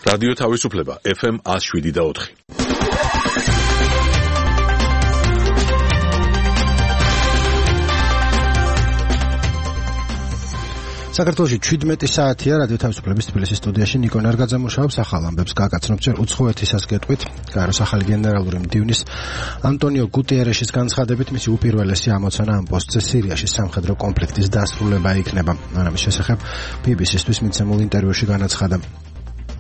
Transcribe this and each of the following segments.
რადიო თავისუფლება FM 107.4. საქართველოში 17 საათია რადიო თავისუფლების თბილისის სტუდიაში ნიკო ნარგაძე მუშაობს ახალ ამბებს გაგაცნობთ ჯერ უცხოეთისას გეტყვით გაეროს ახალი გენერალური მდივნის ანტონიო გუტიერეშის განცხადებით მისი უპირველესი ამოცანა ამ პოსტზე სირიაში სამხედრო კონფლიქტის დასრულება იქნება. ამის შესახებ BBC-ისთვის მიცემულ ინტერვიუში განაცხადა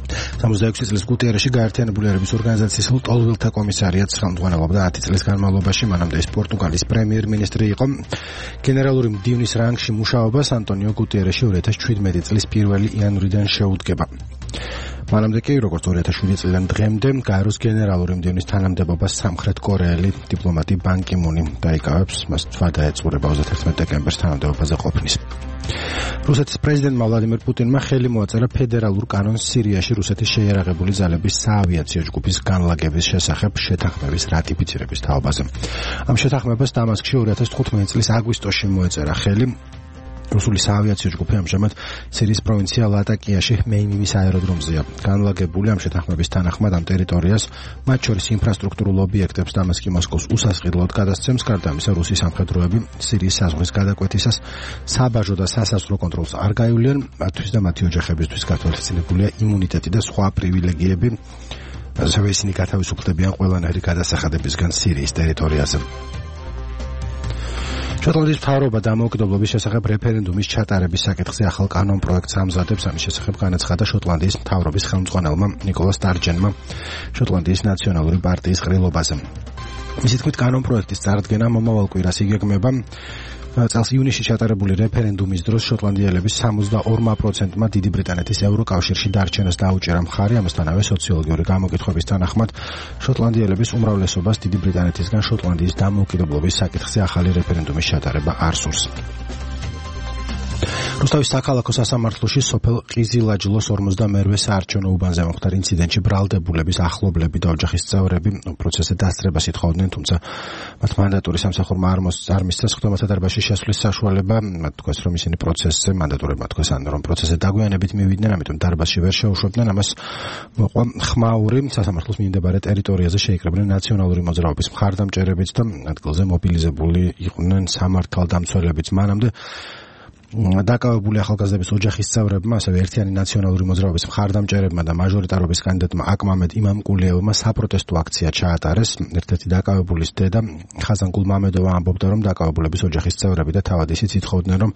66 წლის გუტიერეში გაერთიანებული ერების ორგანიზაციის ლტოლვილთა კომისარიატს ხელმძღვანელობდა 10 წლის განმავლობაში, მანამდე ის პორტუგალის პრემიერ-მინისტრი იყო. გენერალური მდივნის რანგში მუშაობას ანტონიო გუტიერეში 2017 წლის 1 იანვრიდან შეუდგება. მანამდე კი, როგორც 2007 წლიდან დღემდე, გაეროს გენერალური მდივნის თანამდებობას სამხრეთ კორეელი დიპლომატი ბან კი მუნი დაიკავებს, მას თვა დაეწურება 31 დეკემბერს თანამდებობაზე ყოფნის. რუსეთის პრეზიდენტმა ვლადიმერ პუტინმა ხელი მოაწერა ფედერალურ კანონს სირიაში რუსეთის შეიარაღებული ძალების საავიაციო ჯგუფის განლაგების შესახებ შეთანხმების რატიფიცირების თაობაზე. ამ შეთანხმებას დამასკში 2015 წლის აგვისტოში მოეწერა ხელი. რუსული საავიაციო ჯგუფი ამჟამად სირიის პროვინცია ლატაკიაში მეიმიმის აეროდრომზეა. განლაგებული ამ შეთანხმების თანახმად ამ ტერიტორიას, მათ შორის ინფრასტრუქტურულ ობიექტებს დამასკი მოსკოვს უსასყიდლოდ გადასცემს, გარდა ამისა რუსის სამხედროები სირიის საზღვრის გადაკვეთისას საბაჟო და სასაზღვრო კონტროლს არ გაივლიან, მათთვის და მათი ოჯახებისთვის გათვალისწინებულია იმუნიტეტი და სხვა პრივილეგიები, ასევე ისინი გათავისუფლდებიან ყველანაირი გადასახადებისგან სირიის ტერიტორიაზე. შოტლანდიის მთავრობა დამოუკიდებლობის შესახებ რეფერენდუმის ჩატარების საკითხზე ახალ კანონ პროექტს ამზადებს. ამის შესახებ განაცხადა შოტლანდიის მთავრობის ხელმძღვანელმა ნიკოლა სტარჯენმა შოტლანდიის ნაციონალური პარტიის ყრილობაზე. მისი თქმით, კანონ პროექტის წარდგენა მომავალ კვირას იგეგმება. წელს ივნისში ჩატარებული რეფერენდუმის დროს შოტლანდიელების 62%-მა დიდი ბრიტანეთის ევროკავშირში დარჩენას დაუჭერა მხარი. ამასთანავე სოციოლოგიური გამოკითხვების თანახმად შოტლანდიელების უმრავლესობას დიდი ბრიტანეთისგან შოტლანდიის დამოუკიდებლობის საკითხზე ახალი რეფერენდუმის ჩატარება არ სურს. რუსთავის საქალაქო სასამართლოში სოფელ ყიზილაჯლოს 42-ვე საარჩევნო უბანზე მომხდარ ინციდენტში ბრალდებულების ახლობლები და ოჯახის წევრები პროცესზე დასწრებას ითხოვდნენ, თუმცა მათ მანდატური სამსახურმა არ მისცეს ხდომათა დარბაზში შესვლის საშუალება. მათ თქვეს, რომ ისინი პროცესზე მანდატურებმა თქვეს, რომ პროცესზე დაგვიანებით მივიდნენ, ამიტომ დარბაზში ვერ შეუშვებდნენ. ამას მოყვა ხმაური. სასამართლოს მიმდებარე ტერიტორიაზე შეიკრიბნენ ნაციონალური მოძრაობის მხარდამჭერებიც და ადგილზე მობილიზებული იყვნენ სამართალდამცველებიც. მანამდე დაკავებული ახალგაზრდების ოჯახის წევრებმა, ასევე ერთიანი ნაციონალური მოძრაობის მხარდამჭერებმა და მაჟორიტარობის კანდიდატმა აკმამედ იმამკულიევმა საპროტესტო აქცია ჩაატარეს. ერთ-ერთი დაკავებულის დედა ხაზანგულ მამედოვა ამბობდა, რომ დაკავებულების ოჯახის წევრები და თავად ისიც ითხოვდნენ, რომ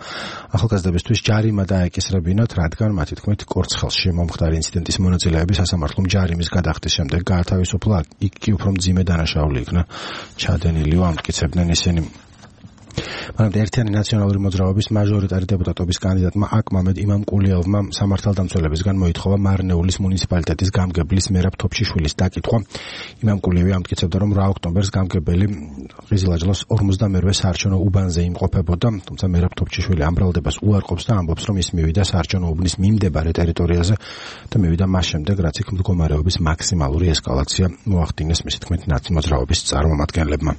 ახალგაზრდებისთვის ჯარიმა დაეკისრებინათ, რადგან მათი თქმით კორცხელში მომხდარი ინციდენტის მონაწილეები სასამართლომ ჯარიმის გადახდის შემდეგ გაათავისუფლა. იქ კი უფრო მძიმე დანაშაული იქნა ჩადენილიო, ამტკიცებდნენ ისინი. მანამდე ერთიანი ნაციონალური მოძრაობის მაჟორიტარი დეპუტატობის კანდიდატმა აკმამედ იმამკულიევმა სამართალდამცველებისგან მოითხოვა მარნეულის მუნიციპალიტეტის გამგებლის მერაბ თოფშიშვილის დაკითხვა. იმამკულიევი ამტკიცებდა, რომ 8 ოქტომბერს გამგებელი ყიზილაჯლოს 42-ვე საარჩევნო უბანზე იმყოფებოდა, თუმცა მერაბ თოფშიშვილი ამ ბრალდებას უარყოფს და ამბობს, რომ ის მივიდა საარჩევნო უბნის მიმდებარე ტერიტორიაზე და მივიდა მას შემდეგ, რაც იქ მდგომარეობის მაქსიმალური ესკალაცია მოახდინეს, მისი თქმით, ნაცმოძრაობის წარმომადგენლებმა.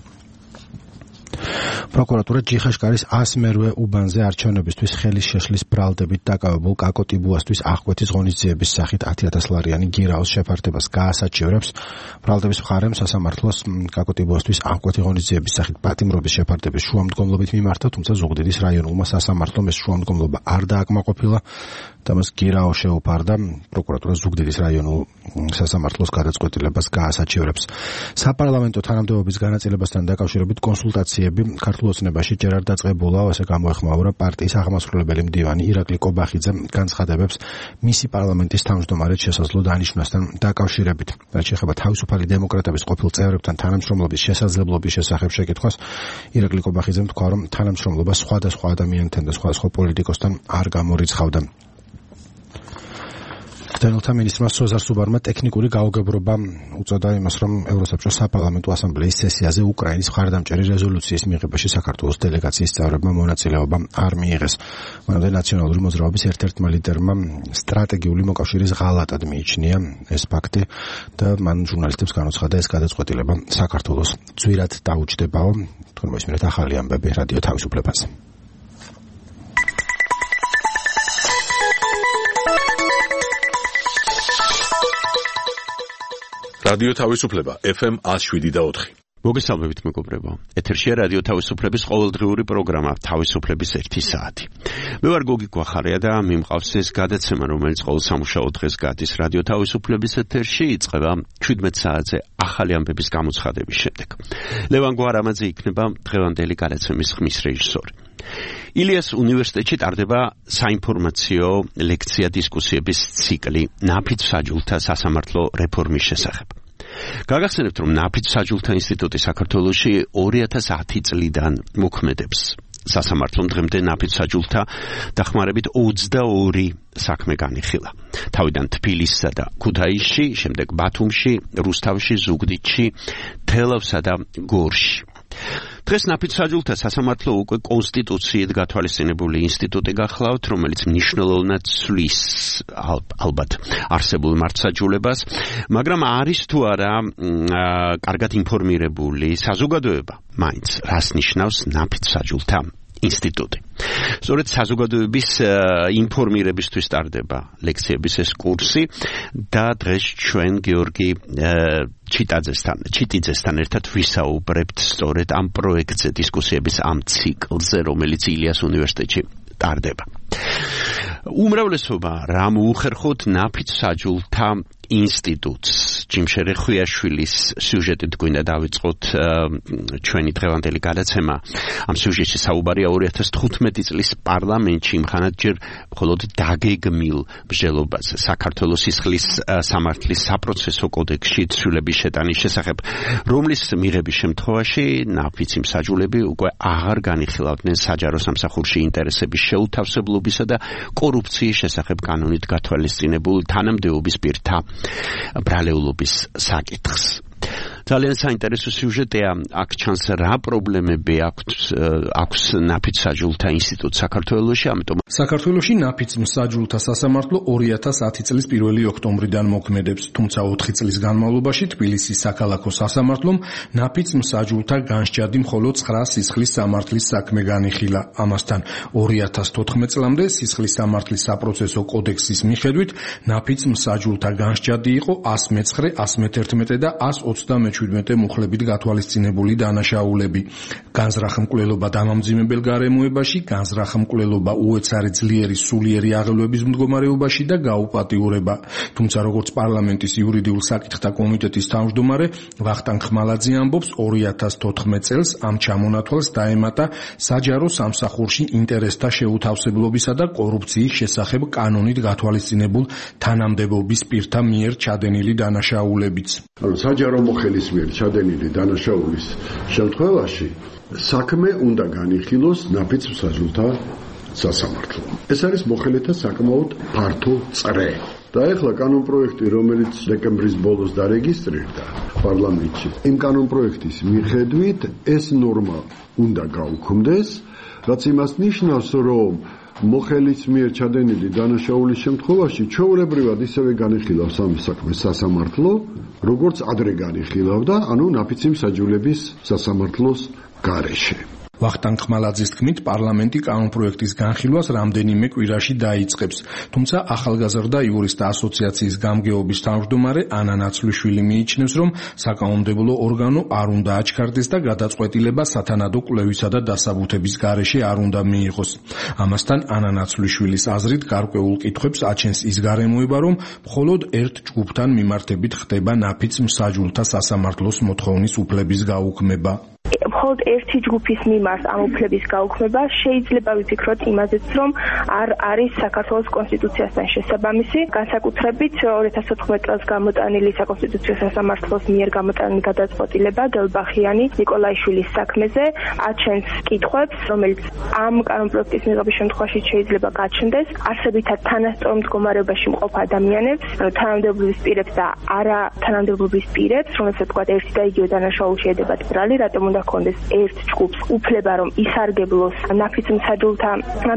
პროკურატურა ჯიხაშკარის 100-მერვე უბანზე არჩევნებისთვის ხელის შეშლის ბრალდებით დაკავებულ კაკო ტიბუასთვის აღკვეთის ღონისძიების სახით 10,000 ლარიანი გირაოს შეფართებას გაასაჩივრებს. ბრალდების მხარემ სასამართლოს კაკო ტიბუასთვის აღკვეთი ღონისძიების სახით პატიმრობის შეფართების შუამდგომლობით მიმართა, თუმცა ზუგდიდის რაიონულმა სასამართლომ ეს შუამდგომლობა არ დააკმაყოფილა და მას გირაო შეუფარდა. პროკურატურა ზუგდიდის რაიონულ სასამართლოს გადაწყვეტილებას გაასაჩივრებს. საპარლამენტო თანამდებობის განაწილებასთან დაკავშირებით კონსულტაციები ქართულ ოცნებაში ჯერ არ დაწყებულა, ასე გამოეხმაურა პარტიის აღმასრულებელი მდივანი ირაკლი კობახიძე განცხადებებს მისი პარლამენტის თავმჯდომარედ შესაძლო დანიშვნასთან დაკავშირებით. რაც შეეხება თავისუფალი დემოკრატების ყოფილ წევრებთან თანამშრომლობის შესაძლებლობის შესახებ შეკითხვას, ირაკლი კობახიძემ თქვა, რომ თანამშრომლობა სხვადასხვა ადამიანთან და სხვადასხვა პოლიტიკოსთან არ გამორიცხავდა. დევნილთა მინისტრმა სოზარ სუბარმა ტექნიკური გაუგებრობა უწოდა იმას, რომ ევროსაბჭოს საპარლამენტო ასამბლეის სესიაზე უკრაინის მხარდამჭერი რეზოლუციის მიღებაში საქართველოს დელეგაციის წევრებმა მონაწილეობა არ მიიღეს. მანამდე ნაციონალური მოძრაობის ერთ-ერთმა ლიდერმა სტრატეგიული მოკავშირის ღალატად მიიჩნია ეს ფაქტი და მან ჟურნალისტებს განუცხადა ეს გადაწყვეტილება საქართველოს ძვირად დაუჯდებაო. თქვენ მოსმენთ ახალი ამბები რადიო თავისუფლებაზე. რადიო თავისუფლება FM 107.4. მოგესალმებით მეგობრებო. ეთერშია რადიო თავისუფლების ყოველდღიური პროგრამა თავისუფლების 1 საათი. მე ვარ გოგი გვახარია და მიმყავს ეს გადაცემა, რომელიც ყოველ სამუშაო დღეს გადის რადიო თავისუფლების ეთერში, იწყება 17 საათზე ახალი ამბების გამოცხადების შემდეგ. ლევან გვარამაძე იქნება დღევანდელი გადაცემის ხმის რეჟისორი. ილიას უნივერსიტეტში ტარდება საინფორმაციო ლექცია დისკუსიების ციკლი ნაფიც საჯულთა სასამართლო რეფორმის შესახებ. გაგახსენებთ, რომ ნაფიც საჯულთა ინსტიტუტი საქართველოში 2010 წლიდან მოქმედებს. სასამართლომ დღემდე ნაფიც საჯულთა დახმარებით 22 საქმე განიხილა. თავიდან თბილისსა და ქუთაისში, შემდეგ ბათუმში, რუსთავში, ზუგდიდში, თელავსა და გორში. დღეს ნაფიც საჯულთა სასამართლო უკვე კონსტიტუციით გათვალისწინებული ინსტიტუტი გახლავთ, რომელიც მნიშვნელოვნად ცვლის ალბათ არსებულ მართლსაჯულებას, მაგრამ არის თუ არა კარგად ინფორმირებული საზოგადოება, მაინც რას ნიშნავს ნაფიც საჯულთა ინსტიტუტი. სწორედ საზოგადოების ინფორმირებისთვის ტარდება ლექციების ეს კურსი და დღეს ჩვენ გიორგი ჩიტიძესთან ერთად ვისაუბრებთ სწორედ ამ პროექტზე, დისკუსიების ამ ციკლზე, რომელიც ილიას უნივერსიტეტში ტარდება. უმრავლესობა რა მოუხერხოთ ნაფიც საჯულთა ინსტიტუტს. ჯიმშერე ხვიაშვილის სიუჟეტით გვინდა დავიწყოთ ჩვენი დღევანდელი გადაცემა. ამ სიუჟეტში საუბარია 2015 წლის პარლამენტში მხანადჯერ მხოლოდ დაგეგმილ მსჯელობაზე საქართველოს სისხლის სამართლის საპროცესო კოდექსში ცვლილების შეტანის შესახებ, რომლის მიღების შემთხვევაში ნაფიც მსაჯულები უკვე აღარ განიხილავდნენ საჯარო სამსახურში ინტერესების შეუთავსებლობისა და კორუფციის შესახებ კანონით გათვალისწინებულ თანამდებობის პირთა ბრალეულობის საკითხს. ძალიან საინტერესო სიუჟეტია, აქ ჩანს რა პრობლემები აქვს ნაფიც საჯულთა ინსტიტუტს საქართველოში, ამიტომ საქართველოში ნაფიც საჯულთა სასამართლო 2010 წლის 1 ოქტომბრიდან მოქმედებს, თუმცა 4 წლის განმავლობაში თბილისის საქალაქო სასამართლომ ნაფიც საჯულთა განსჯადი მხოლოდ 9 სისხლის სამართლის საქმე განიხილა. ამასთან 2014 წლამდე სისხლის სამართლის საპროცესო კოდექსის მიხედვით ნაფიც საჯულთა განსჯადი იყო 109, 111 და 127 მუხლებით გათვალისწინებული დანაშაულები. განზრახმკვლელობა დამამძიმებელ გარემოებაში, განზრახმკვლელობა უეცარი ძლიერი სულიერი აღელვების მდგომარეობაში და გაუპატიურება. თუმცა როგორც პარლამენტის იურიდიულ საკითხთა კომიტეტის თავმჯდომარე ვახტანგ ხმალაძე ამბობს, 2014 წელს ამ ჩამონათვალს დაემატა საჯარო სამსახურში ინტერესთა შეუთავსებლობისა და კორუფციის შესახებ კანონით გათვალისწინებულ თანამდებობის პირთა მიერ ჩადენილი დანაშაულებიც. საჯარო მოხელის მიერ ჩადენილი დანაშაულის შემთხვევაში საქმე უნდა განიხილოს ნაფიც საჯულთა სასამართლომ. ეს არის მოხელეთა საკმაოდ ფართო წრე. და ეხლა კანონპროექტი, რომელიც დეკემბრის ბოლოს დარეგისტრირდა პარლამენტში, იმ კანონპროექტის მიხედვით ეს ნორმა უნდა გაუქმდეს, რაც იმას ნიშნავს, რომ მოხელის მიერ ჩადენილი დანაშაულის შემთხვევაში ჩვეულებრივად ისევე განიხილავს ამ საქმეს სასამართლო, როგორც ადრე განიხილავდა, ანუ ნაფიცი მსაჯულების სასამართლოს გარეშე. ვახტანგ ხმალაძის თქმით, პარლამენტი კანონპროექტის განხილვას რამდენიმე კვირაში დაიწყებს, თუმცა ახალგაზრდა იურისტთა ასოციაციის გამგეობის თავმჯდომარე ანა ნაცვლიშვილი მიიჩნევს, რომ საკანონმდებლო ორგანო არ უნდა აჩქარდეს და გადაწყვეტილება სათანადო კვლევისა და დასაბუთების გარეშე არ უნდა მიიღოს. ამასთან ანა ნაცვლიშვილის აზრით გარკვეულ კითხვებს აჩენს ის გარემოება, რომ მხოლოდ ერთ ჯგუფთან მიმართებით ხდება ნაფიც მსაჯულთა სასამართლოს მოთხოვნის უფლების გაუქმება. მხოლოდ ერთი ჯგუფის მიმართ ამ უფლების გაუქმება შეიძლება ვიფიქროთ იმაზეც, რომ არ არის საქართველოს კონსტიტუციასთან შესაბამისი, განსაკუთრებით 2014 წელს გამოტანილი საკონსტიტუციო სასამართლოს მიერ გამოტანილი გადაწყვეტილება გელბახიანი ნიკოლაიშვილის საქმეზე აჩენს კითხვებს, რომელიც ამ კანონპროექტის მიღების შემთხვევაში შეიძლება გაჩნდეს არსებითად თანასწორ მდგომარეობაში მყოფ ადამიანებს, თანამდებობის პირებს და არა თანამდებობის პირებს, რომელსაც თქვა ერთი და იგივე დანაშაული შეედებათ ბრალი, რატომ უნდა ჰქონდეს ერთ ჯგუფს უფლება რომ ისარგებლოს ნაფიცმსაჯულთა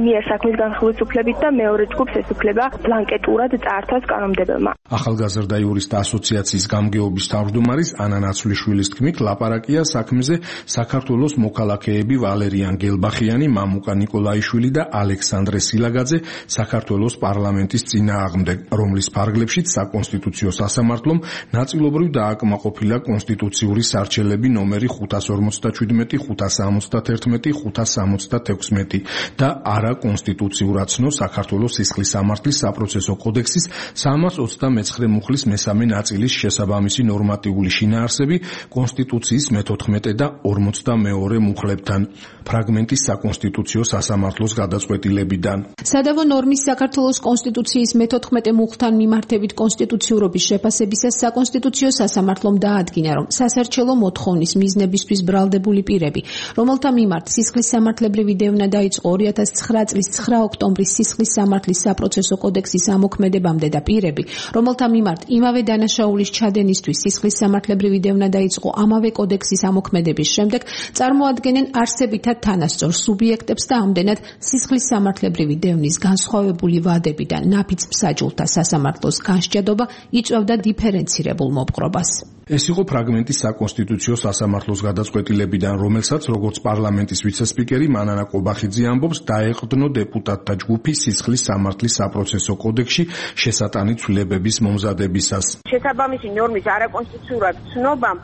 მიერ საქმის განხილვის უფლებით და მეორე ჯგუფს ეს უფლება ბლანკეტურად წაართვას კანონმდებელმა. ახალგაზრდა იურისტთა ასოციაციის გამგეობის თავმჯდომარის ანა ნაცვლიშვილის თქმით, ლაპარაკია საქმეზე საქართველოს მოქალაქეები ვალერიან გელბახიანი, მამუკა ნიკოლაიშვილი და ალექსანდრე სილაგაძე საქართველოს პარლამენტის წინააღმდეგ, რომლის ფარგლებშიც საკონსტიტუციო სასამართლომ ნაწილობრივ დააკმაყოფილა კონსტიტუციური სარჩელები ნომერი 557, 571, 576 და არაკონსტიტუციურად ცნო საქართველოს სისხლის სამართლის საპროცესო კოდექსის 329 მუხლის მესამე ნაწილის შესაბამისი ნორმატიული შინაარსები კონსტიტუციის მე-14 და 42 მუხლებთან. ფრაგმენტის საკონსტიტუციო სასამართლოს გადაწყვეტილებიდან. სადავო ნორმის საქართველოს კონსტიტუციის მე-14 მუხლთან მიმართებით კონსტიტუციურობის შეფასებისას საკონსტიტუციო სასამართლომ დაადგინა, რომ სასარჩელო მოთხოვნის მიზნებისთვის ბრალდებული პირები, რომელთა მიმართ სისხლის სამართლებრივი დევნა დაიწყო 2009 წლის 9 ოქტომბრის სისხლის სამართლის საპროცესო კოდექსის ამოქმედებამდე და პირები, რომელთა მიმართ იმავე დანაშაულის ჩადენისთვის სისხლის სამართლებრივი დევნა დაიწყო ამავე კოდექსის ამოქმედების შემდეგ, წარმოადგენენ არსებითად თანასწორ სუბიექტებს და ამდენად სისხლის სამართლებრივი დევნის განსხვავებული ვადებიდან ნაფიცმსაჯულთა სასამართლოს განსჯადობა იწვევდა დიფერენცირებულ მოპყრობას. ეს იყო ფრაგმენტის საკონსტიტუციო სასამართლოს გადაწყვეტილებიდან, რომელსაც როგორც პარლამენტის ვიცესპიკერი მანანა ყობახიძე ამბობს, დაეყრდნო დეპუტატთა ჯგუფი სისხლის სამართლის საპროცესო კოდექსში შესატანი ცვლილებების მომზადებისას. შესაბამისი ნორმის არაკონსტიტუციურად ცნობამ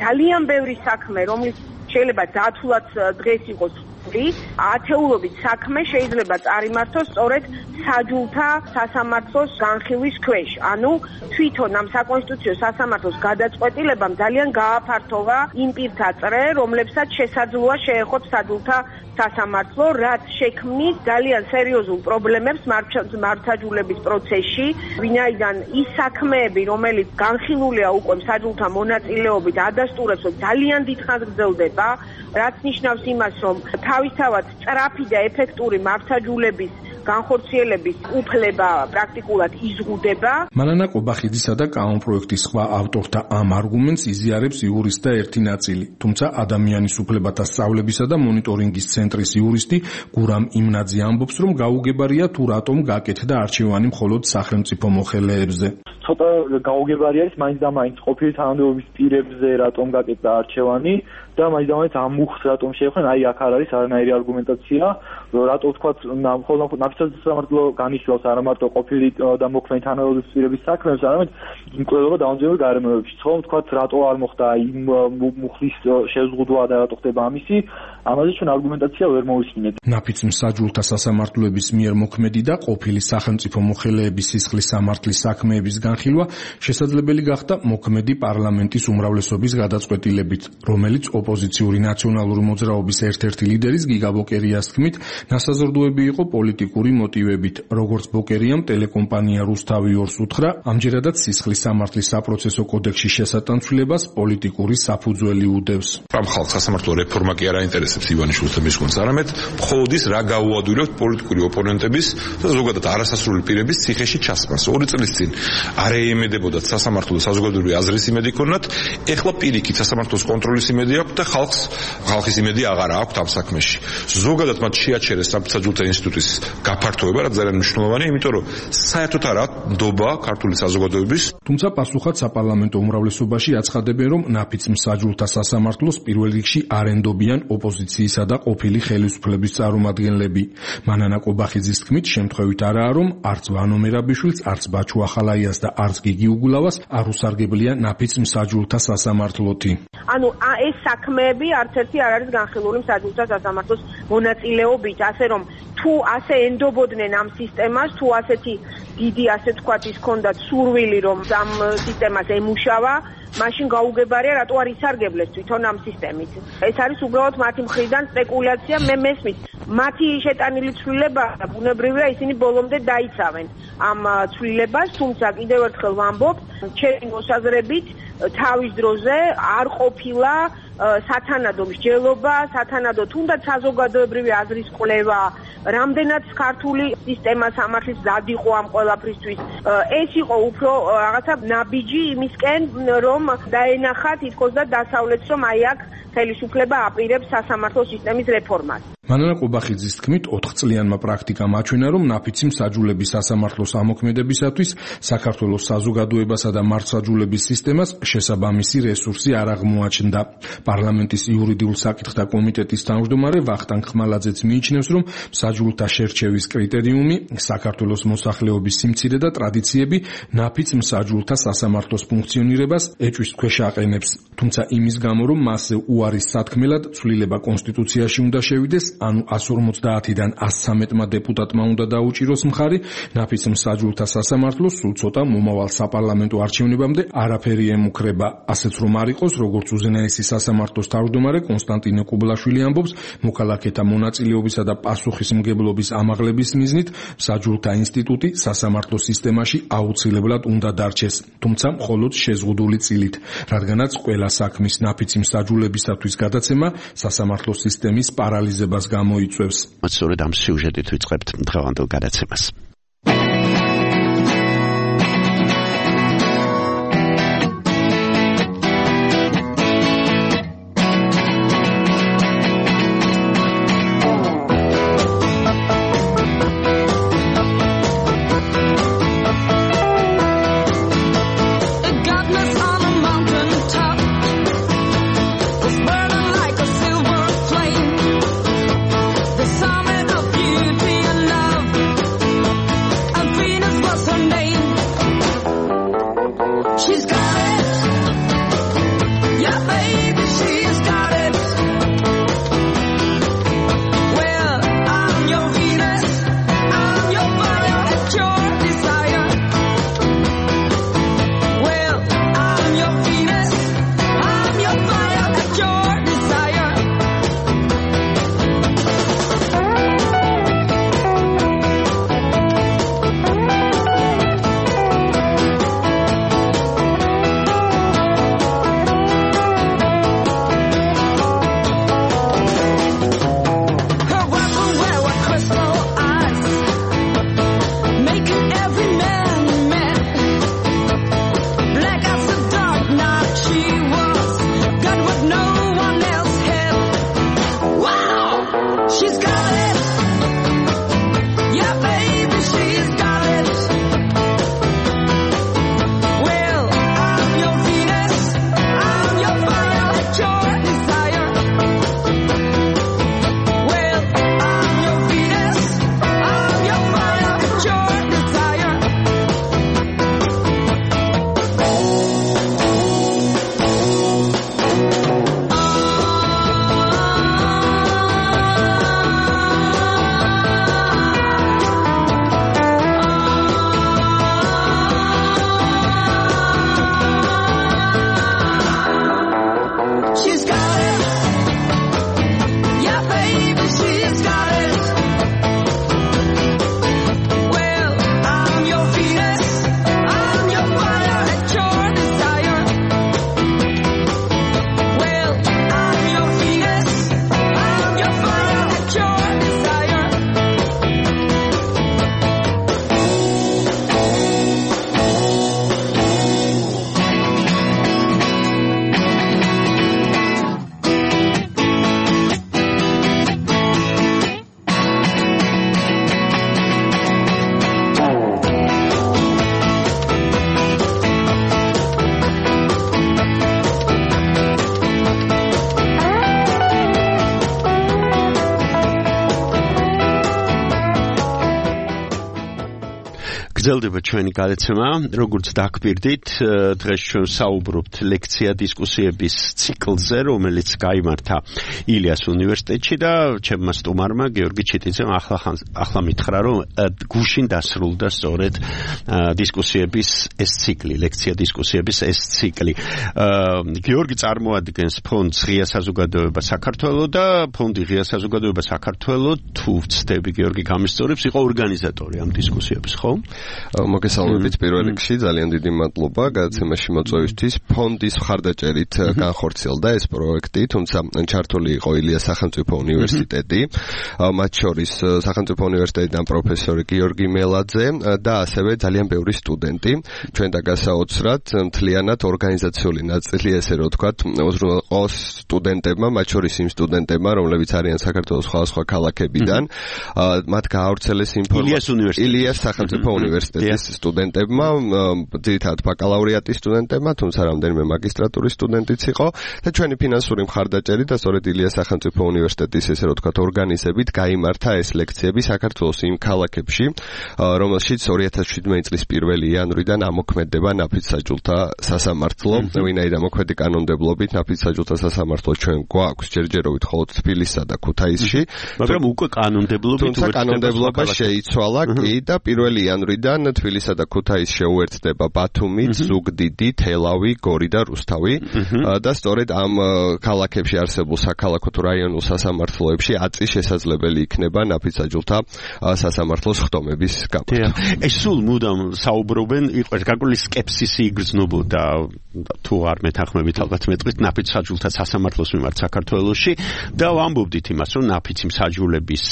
ძალიან ბევრი საქმე, რომელიც შეიძლება დათულად დღეს იყოს ათეულობით საქმე შეიძლება წარიმართოს სწორედ საჯულთა სასამართლოს განხილვის ქვეშ. ანუ თვითონ ამ საკონსტიტუციო სასამართლოს გადაწყვეტილებამ ძალიან გააფართოვა იმ პირთა წრე, რომლებსაც შესაძლოა შეეხოთ საჯულთა სასამართლო, რაც შექმნის ძალიან სერიოზულ პრობლემებს მართლმსაჯულების პროცესში, ვინაიდან ის საქმეები, რომელიც განხილულია უკვე საჯულთა მონაწილეობით, ადასტურებს, რომ ძალიან დიდხანს გრძელდება, რაც ნიშნავს იმას, რომ თავისთავად სწრაფი და ეფექტური მართლმსაჯულების განხორციელების უფლება პრაქტიკულად იზღუდება. მანანა ყობახიძისა და კანონპროექტის სხვა ავტორთა ამ არგუმენტს იზიარებს იურისტთა ერთი ნაწილი, თუმცა ადამიანის უფლებათა სწავლებისა და მონიტორინგის ცენტრის იურისტი გურამ იმნაძე ამბობს, რომ გაუგებარია თუ რატომ გაკეთდა არჩევანი მხოლოდ სახელმწიფო მოხელეებზე. ცოტა გაუგებარი არის მაინც და მაინც ყოფილი თანამდებობის პირებზე რატომ გაკეთდა არჩევანი და მაინც და მაინც ამ მუხლს რატომ შეეხნენ, აი აქ არ არის არანაირი არგუმენტაცია, რატო თქვათ ნაფიცმსაჯულთა სასამართლო განიხილავს არა მარტო ყოფილი და მოქმედი თანამდებობის პირების საქმეებს, არამედ იმკვლელობა დამოუკიდებელი გარემოებებში. ხომ თქვათ რატო არ მოხდა იმ მუხლის შეზღუდვა და რატო ხდება ამისი, ამაზე ჩვენ არგუმენტაცია ვერ მოვისმინეთ. ნაფიცმსაჯულთა სასამართლოების მიერ მოქმედი და ყოფილი სახელმწიფო მოხელეების სისხლის სამართლის საქმეების განხილვა შესაძლებელი გახდა მოქმედი პარლამენტის უმრავლესობის გადაწყვეტილებით, რომელიც ოპოზიციური ნაციონალური მოძრაობის ერთ-ერთი ლიდერის გიგა ბოკერიას თქმით, ნასაზრდოები იყო პოლიტიკური მოტივებით, როგორც ბოკერიამ ტელეკომპანია რუსთავი 2-ს უთხრა, ამჯერადაც სისხლის სამართლის საპროცესო კოდექსში შესატანცვლებას პოლიტიკური საფუძველი უდევს. ამ ხალხს სასამართლო რეფორმა კი არ აინტერესებს ივანიშვილთა მისგონს, არამედ მხოლოდ ის რა გაუადვილებთ პოლიტიკური ოპონენტების და ზოგადად არასასრული პირების ციხეში ჩასმას. 2 წლის წინ არ ეიმედებოდათ სასამართლოს საზოგადოებრივი აზრის იმედი ქონათ, ეხლა პირიქით სასამართლოს კონტროლის იმედი აქვს და ხალხის იმედი აღარა აქვს ამ საქმეში. ზოგადად მათ შეაჩერეს ნაფიცმსაჯულთა ინსტიტუტის გაფართოება, რაც ძალიან მნიშვნელოვანია, იმიტომ რომ საერთოდ არა ნდობა ქართული საზოგადოების. თუმცა პასუხად საპარლამენტო უმრავლესობაში აცხადებენ, რომ ნაფიცმსაჯულთა სასამართლოს პირველ რიგში არ ენდობიან ოპოზიციისა და ყოფილი ხელისუფლების წარმომადგენლები. მანანა ყობახიძის თქმით, შემთხვევით არაა, რომ არც ვანო მერაბიშვილს, არც ბაჩუ ახალაიას და არც გიგი უგულავას არ უსარგებლია ნაფიცმსაჯულთა სასამართლოთი. ანუ ეს საქმეები არც ერთი არ არის განხილული მსაჯულთა სასამართლოს მონაწილეობით, ასე რომ თუ ასე ენდობოდნენ ამ სისტემას, თუ ასეთი დიდი ასე თქვათ ის ქონდათ სურვილი რომ ამ სისტემას ემუშავა, მაშინ გაუგებარია რატო არ ისარგებლეს თვითონ ამ სისტემით. ეს არის უბრალოდ მათი მხრიდან სპეკულაცია, მე მესმის. მათი შეტანილი ცვლილება ბუნებრივია ისინი ბოლომდე დაიცავენ ამ ცვლილებას, თუმცა კიდევ ერთხელ ვამბობ, ჩემი მოსაზრებით თავის დროზე არ ყოფილა სათანადო მსჯელობა, სათანადო თუნდაც საზოგადოებრივი აზრის კვლევა, რამდენად ქართული სისტემა სამართლის მზად იყო ამ ყველაფრისთვის. ეს იყო უფრო რაღაცა ნაბიჯი იმისკენ, რომ დაენახა თითქოს და დასავლეთს, რომ აი აქ ხელისუფლება აპირებს სასამართლო სისტემის რეფორმას. მანანა ყუბახიძის თქმით 4 წლიანმა პრაქტიკამ აჩვენა, რომ ნაფიცი მსაჯულების სასამართლოს ამოქმედებისათვის საქართველოს საზოგადოებასა და მართლმსაჯულების სისტემას შესაბამისი რესურსი არ აღმოაჩნდა. პარლამენტის იურიდიულ საკითხთა კომიტეტის თავმჯდომარე ვახტანგ ხმალაძეც მიიჩნევს, რომ მსაჯულთა შერჩევის კრიტერიუმი, საქართველოს მოსახლეობის სიმცირე და ტრადიციები ნაფიც მსაჯულთა სასამართლოს ფუნქციონირებას ეჭვის ქვეშ აყენებს. თუმცა იმის გამო, რომ მასზე უარის სათქმელად ცვლილება კონსტიტუციაში უნდა შევიდეს, ანუ 150-დან 113-მა დეპუტატმა უნდა დაუჭიროს მხარი, ნაფიც მსაჯულთა სასამართლოს სულ ცოტა მომავალ საპარლამენტო არჩევნებამდე არაფერი ემუქრება. ასეც რომ არ იყოს, როგორც უზენაესი სასამართლოს თავმჯდომარე კონსტანტინე კუბლაშვილი ამბობს, მოქალაქეთა მონაწილეობისა და პასუხისმგებლობის ამაღლების მიზნით მსაჯულთა ინსტიტუტი სასამართლო სისტემაში აუცილებლად უნდა დარჩეს, თუმცა მხოლოდ შეზღუდული წილით, რადგანაც ყველა საქმის ნაფიცი მსაჯულებისათვის გადაცემა სასამართლო სისტემის პარალიზებას გამოიწვევს. სწორედ ამ სიუჟეტით ვიწყებთ დღევანდელ გადაცემას. გრძელდება ჩვენი გადაცემა, როგორც დაგკვირდით, დღეს ჩვენ საუბრობთ ლექცია დისკუსიების ციკლზე, რომელიც გაიმართა ილიას უნივერსიტეტში და ჩემმა სტუმარმა გიორგი ჩიტიძემ ახლა მითხრა, რომ გუშინ დასრულდა სწორედ დისკუსიების ეს ციკლი, ლექცია დისკუსიების ეს ციკლი. გიორგი წარმოადგენს ფონდს ღია საზოგადოება საქართველოს და ფონდი ღია საზოგადოება საქართველოს, თუ ვცდები გიორგი გამისწორებს, იყო ორგანიზატორი ამ დისკუსიების, ხო? მოგესალმებით პირველ რიგში, ძალიან დიდი მადლობა გადაცემაში მოწვევისთვის. ფონდის მხარდაჭერით განხორციელდა ეს პროექტი, თუმცა ჩართული იყო ილიას სახელმწიფო უნივერსიტეტი, მათ შორის სახელმწიფო უნივერსიტეტიდან პროფესორი გიორგი მელაძე და ასევე ძალიან ბევრი სტუდენტი. ჩვენ დაგასაოცრად მთლიანად ორგანიზაციული ნაწილი, ესე რომ ვთქვათ, უზრუნველყოს სტუდენტებმა, მათ შორის იმ სტუდენტებმა, რომლებიც არიან საქართველოს სხვადასხვა ქალაქებიდან, მათ გაავრცელეს ინფორმაცია ილიას სახელმწიფო უნივერსიტეტის სტუდენტებმა, ძირითადად ბაკალავრიატის სტუდენტებმა, თუმცა რამდენიმე მაგისტრატურის სტუდენტიც იყო და ჩვენი ფინანსური მხარდაჭერით და სწორედ ილიას სახელმწიფო უნივერსიტეტის, ესე რომ ვთქვათ, ორგანიზებით გაიმართა ეს ლექციები საქართველოს იმ ქალაქებში, რომელშიც 2017 წლის 1 იანვრიდან ამოქმედება ნაფიც-საჯულთა სასამართლო. ვინაიდან მოქმედი კანონმდებლობით ნაფიც-საჯულთა სასამართლო ჩვენ გვაქვს ჯერჯერობით მხოლოდ თბილისსა და ქუთაისში, მაგრამ უკვე კანონმდებლობით კანონმდებლობა შეიცვალა კი და 1 იანვრიდან თბილისსა და ქუთაისს შეუერთდება ბათუმი, ზუგდიდი, თელავი, გორი და რუსთავი და სწორედ ამ ქალაქებში არსებულ საქალაქო თუ რაიონულ სასამართლოებში აწი შესაძლებელი იქნება ნაფიც-საჯულთა სასამართლოს ხდომების გაკვეთა. ეს სულ მუდამ საუბრობენ, იყო გარკვეული სკეპსისი იგრძნობოდა თუ არ მეთანხმებით ალბათ მეტყვით ნაფიც-საჯულთა სასამართლოს მიმართ საქართველოში და ვამბობდით იმას, რომ ნაფიცი მსაჯულების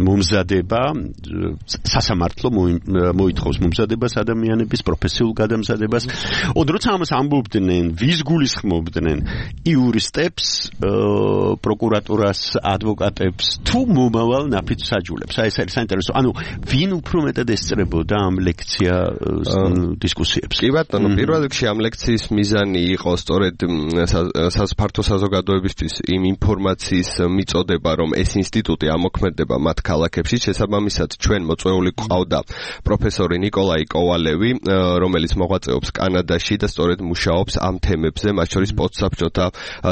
მომზადება სასამართლო მოითხოვს მომზადებას ადამიანების პროფესიულ გადამზადებას. როცა ამას ამბობდნენ, ვის გულისხმობდნენ იურისტებს, პროკურატურას, ადვოკატებს თუ მომავალ ნაფიც-საჯულებს. ეს არის საინტერესო. ანუ ვინ უფრო მეტად ესწრებოდა ამ ლექციას დისკუსიებს? კი ბატონო, პირველ რიგში ამ ლექციის მიზანი იყო სწორედ ფართო საზოგადოებისთვის იმ ინფორმაციის მიწოდება, რომ ეს ინსტიტუტი ამოქმედება მათ ქალაქებში. შესაბამისად, ჩვენ მოწვეული ყავდა პროფესორი ნიკოლაი კოვალევი, რომელიც მოღვაწეობს კანადაში და სწორედ მუშაობს ამ თემებზე, მათ შორის პოსტსაბჭოთა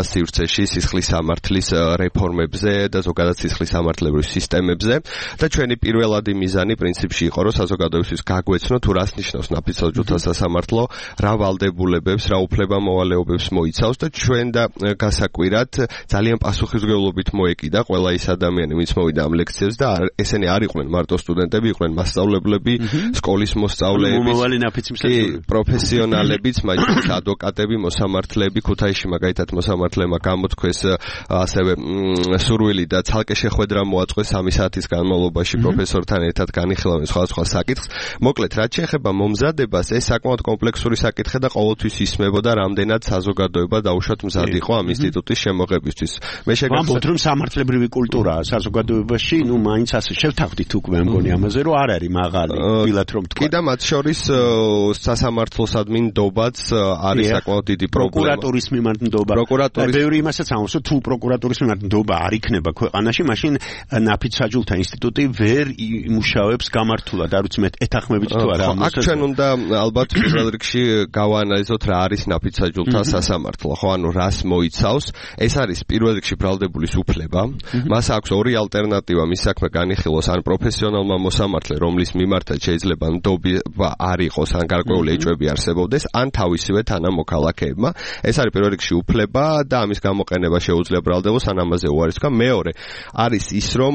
სივრცეში, სისხლის სამართლის რეფორმებზე და ზოგადად სისხლის სამართლებრივ სისტემებზე და ჩვენი პირველადი მიზანი პრინციპში იყო, რომ საზოგადოებისთვის გაგვეცნო თუ რას ნიშნავს ნაფიც-საჯულთა სასამართლო, რა ვალდებულებებს, რა უფლება-მოვალეობებს მოიცავს და ჩვენ და გასაკვირად ძალიან პასუხისმგებლობით მოეკიდა ყველა ის ადამიანი, ვინც მოვიდა ამ ლექციებს და ესენი არ იყვნენ მარტო სტუდენტები, იყვნენ მასწავლებლები, სკოლის მოსწავლეები, პროფესიონალებიც, მაგალითად ადვოკატები, მოსამართლეები, ქუთაისში მაგალითად მოსამართლემა გამოთქვეს ასევე სურვილი და ცალკე შეხვედრა მოაწყვეს 3 საათის განმავლობაში პროფესორთან ერთად განიხილავენ სხვადასხვა საკითხს. მოკლედ, რაც შეეხება მომზადებას, ეს საკმაოდ კომპლექსური საკითხი და ყოველთვის ისმებოდა, რამდენად საზოგადოება დაუშვათ მზად იყო ამ ინსტიტუტის შემოღებისთვის. მე შეგახსენებ, რომ სამართლებრივი კულტურა საზოგადოებაში, მაინც ასე შევთანხმდით უკვე მგონი ამაზე, რომ არ არის მაღალი, თბილად რომ თქვა. კი და მათ შორის სასამართლოსადმი ნდობაც არის საკმაოდ დიდი პრობლემა. პროკურატურის მიმართ ნდობა. ბევრი იმასაც ამბობს, თუ პროკურატურის მიმართ ნდობა არ იქნება ქვეყანაში, მაშინ ნაფიც-საჯულთა ინსტიტუტი ვერ იმუშავებს გამართულად. არ ვიცი მე ეთანხმებით თუ არა ამას. აქ ჩვენ უნდა ალბათ პირველ რიგში გავაანალიზოთ რა არის ნაფიც-საჯულთა სასამართლო, ხო, ანუ რას მოიცავს. ეს არის პირველ რიგში ბრალდებულის უფლება. მას აქვს ორი ალტერნატივა მის საქმე განიხილოს, ან პროფესიონალმა მოსამართლე, რომლის მიმართაც შეიძლება ნდობა არ იყოს, ან გარკვეული ეჭვები არსებობდეს, ან თავისივე თანამოქალაქეებმა. ეს არის პირველ რიგში უფლება და ამის გამოყენება შეუძლია ბრალდებულს, ან ამაზე უარის თქვა. მეორე არის ის, რომ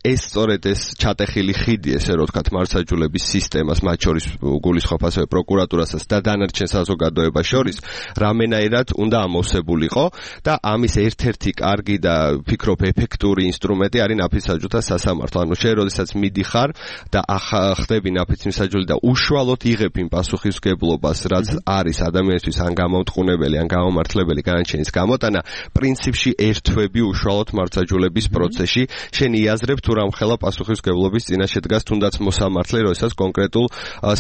ეს სწორედ ეს ჩატეხილი ხიდი, ესე რომ ვთქვათ, მართლმსაჯულების სისტემას, მათ შორის გულისხმობ ასევე პროკურატურასაც და დანარჩენ საზოგადოებას შორის, რამენაირად უნდა ამოვსებულიყო და ამის ერთ-ერთი კარგი და ფიქრობ ეფექტური ინსტრუმენტი არის ნაფიც-საჯულთა სასამართლო. ანუ შენ როდესაც მიდიხარ და ხდები ნაფიც-მსაჯული და უშუალოდ იღებ იმ პასუხისმგებლობას, რაც არის ადამიანისთვის ან გამომტყუნებელი, ან გამომართლებელი განაჩენის გამოტანა, პრინციპში ერთვები უშუალოდ მართლმსაჯულების პროცესში, შენ იაზრებ თუ რამხელა პასუხისმგებლობის წინაშე დგას თუნდაც მოსამართლე, როდესაც კონკრეტულ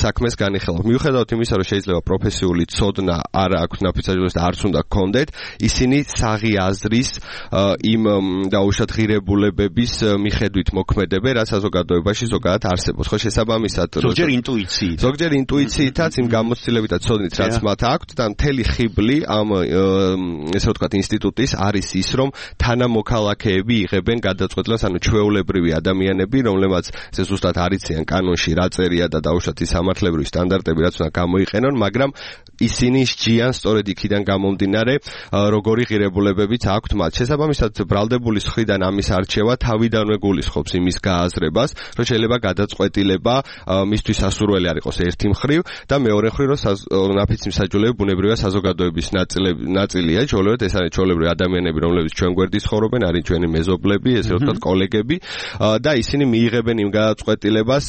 საქმეს განიხილავ. მიუხედავად იმისა, რომ შეიძლება პროფესიული ცოდნა არ აქვს ნაფიც-საჯულეს და არც უნდა გქონდეთ, ისინი საღი აზრის იმ დაუშვათ ღირებულებების მიხედვით მოქმედებენ, რაც საზოგადოებაში ზოგადად არსებობს. ხო, შესაბამისად, ზოგჯერ ინტუიციითაც, იმ გამოცდილებითა ცოდნით, რაც მათ აქვთ და მთელი ხიბლი ამ ესე ვთქვათ ინსტიტუტის არის ის, რომ თანამოქალაქეები იღებენ გადაწყვეტილებას, ანუ ჩვეულებრივი ადამიანები, რომლებმაც ესე ზუსტად არ იციან კანონში რა წერია და დაუშვათ ის სამართლებრივი სტანდარტები, რაც უნდა გამოიყენონ, მაგრამ ისინი სჯიან სწორედ იქიდან გამომდინარე, როგორი ღირებულებებიც აქვთ მათ. შესაბამისად, ბრალდებულის მხრიდან ამის არჩევა თავიდანვე გულისხმობს იმის გააზრებას, რომ შეიძლება გადაწყვეტილება მისთვის მისთვის სასურველი არ იყოს ერთი მხრივ და მეორე მხრივ რომ ნაფიც მსაჯულები ბუნებრივია საზოგადოების ნაწილია, ჩვეულებრივ ეს არის ჩვეულებრივი ადამიანები, რომლებიც ჩვენ გვერდის ცხოვრობენ, არის ჩვენი მეზობლები, ესე ვთქვათ, კოლეგები და ისინი მიიღებენ იმ გადაწყვეტილებას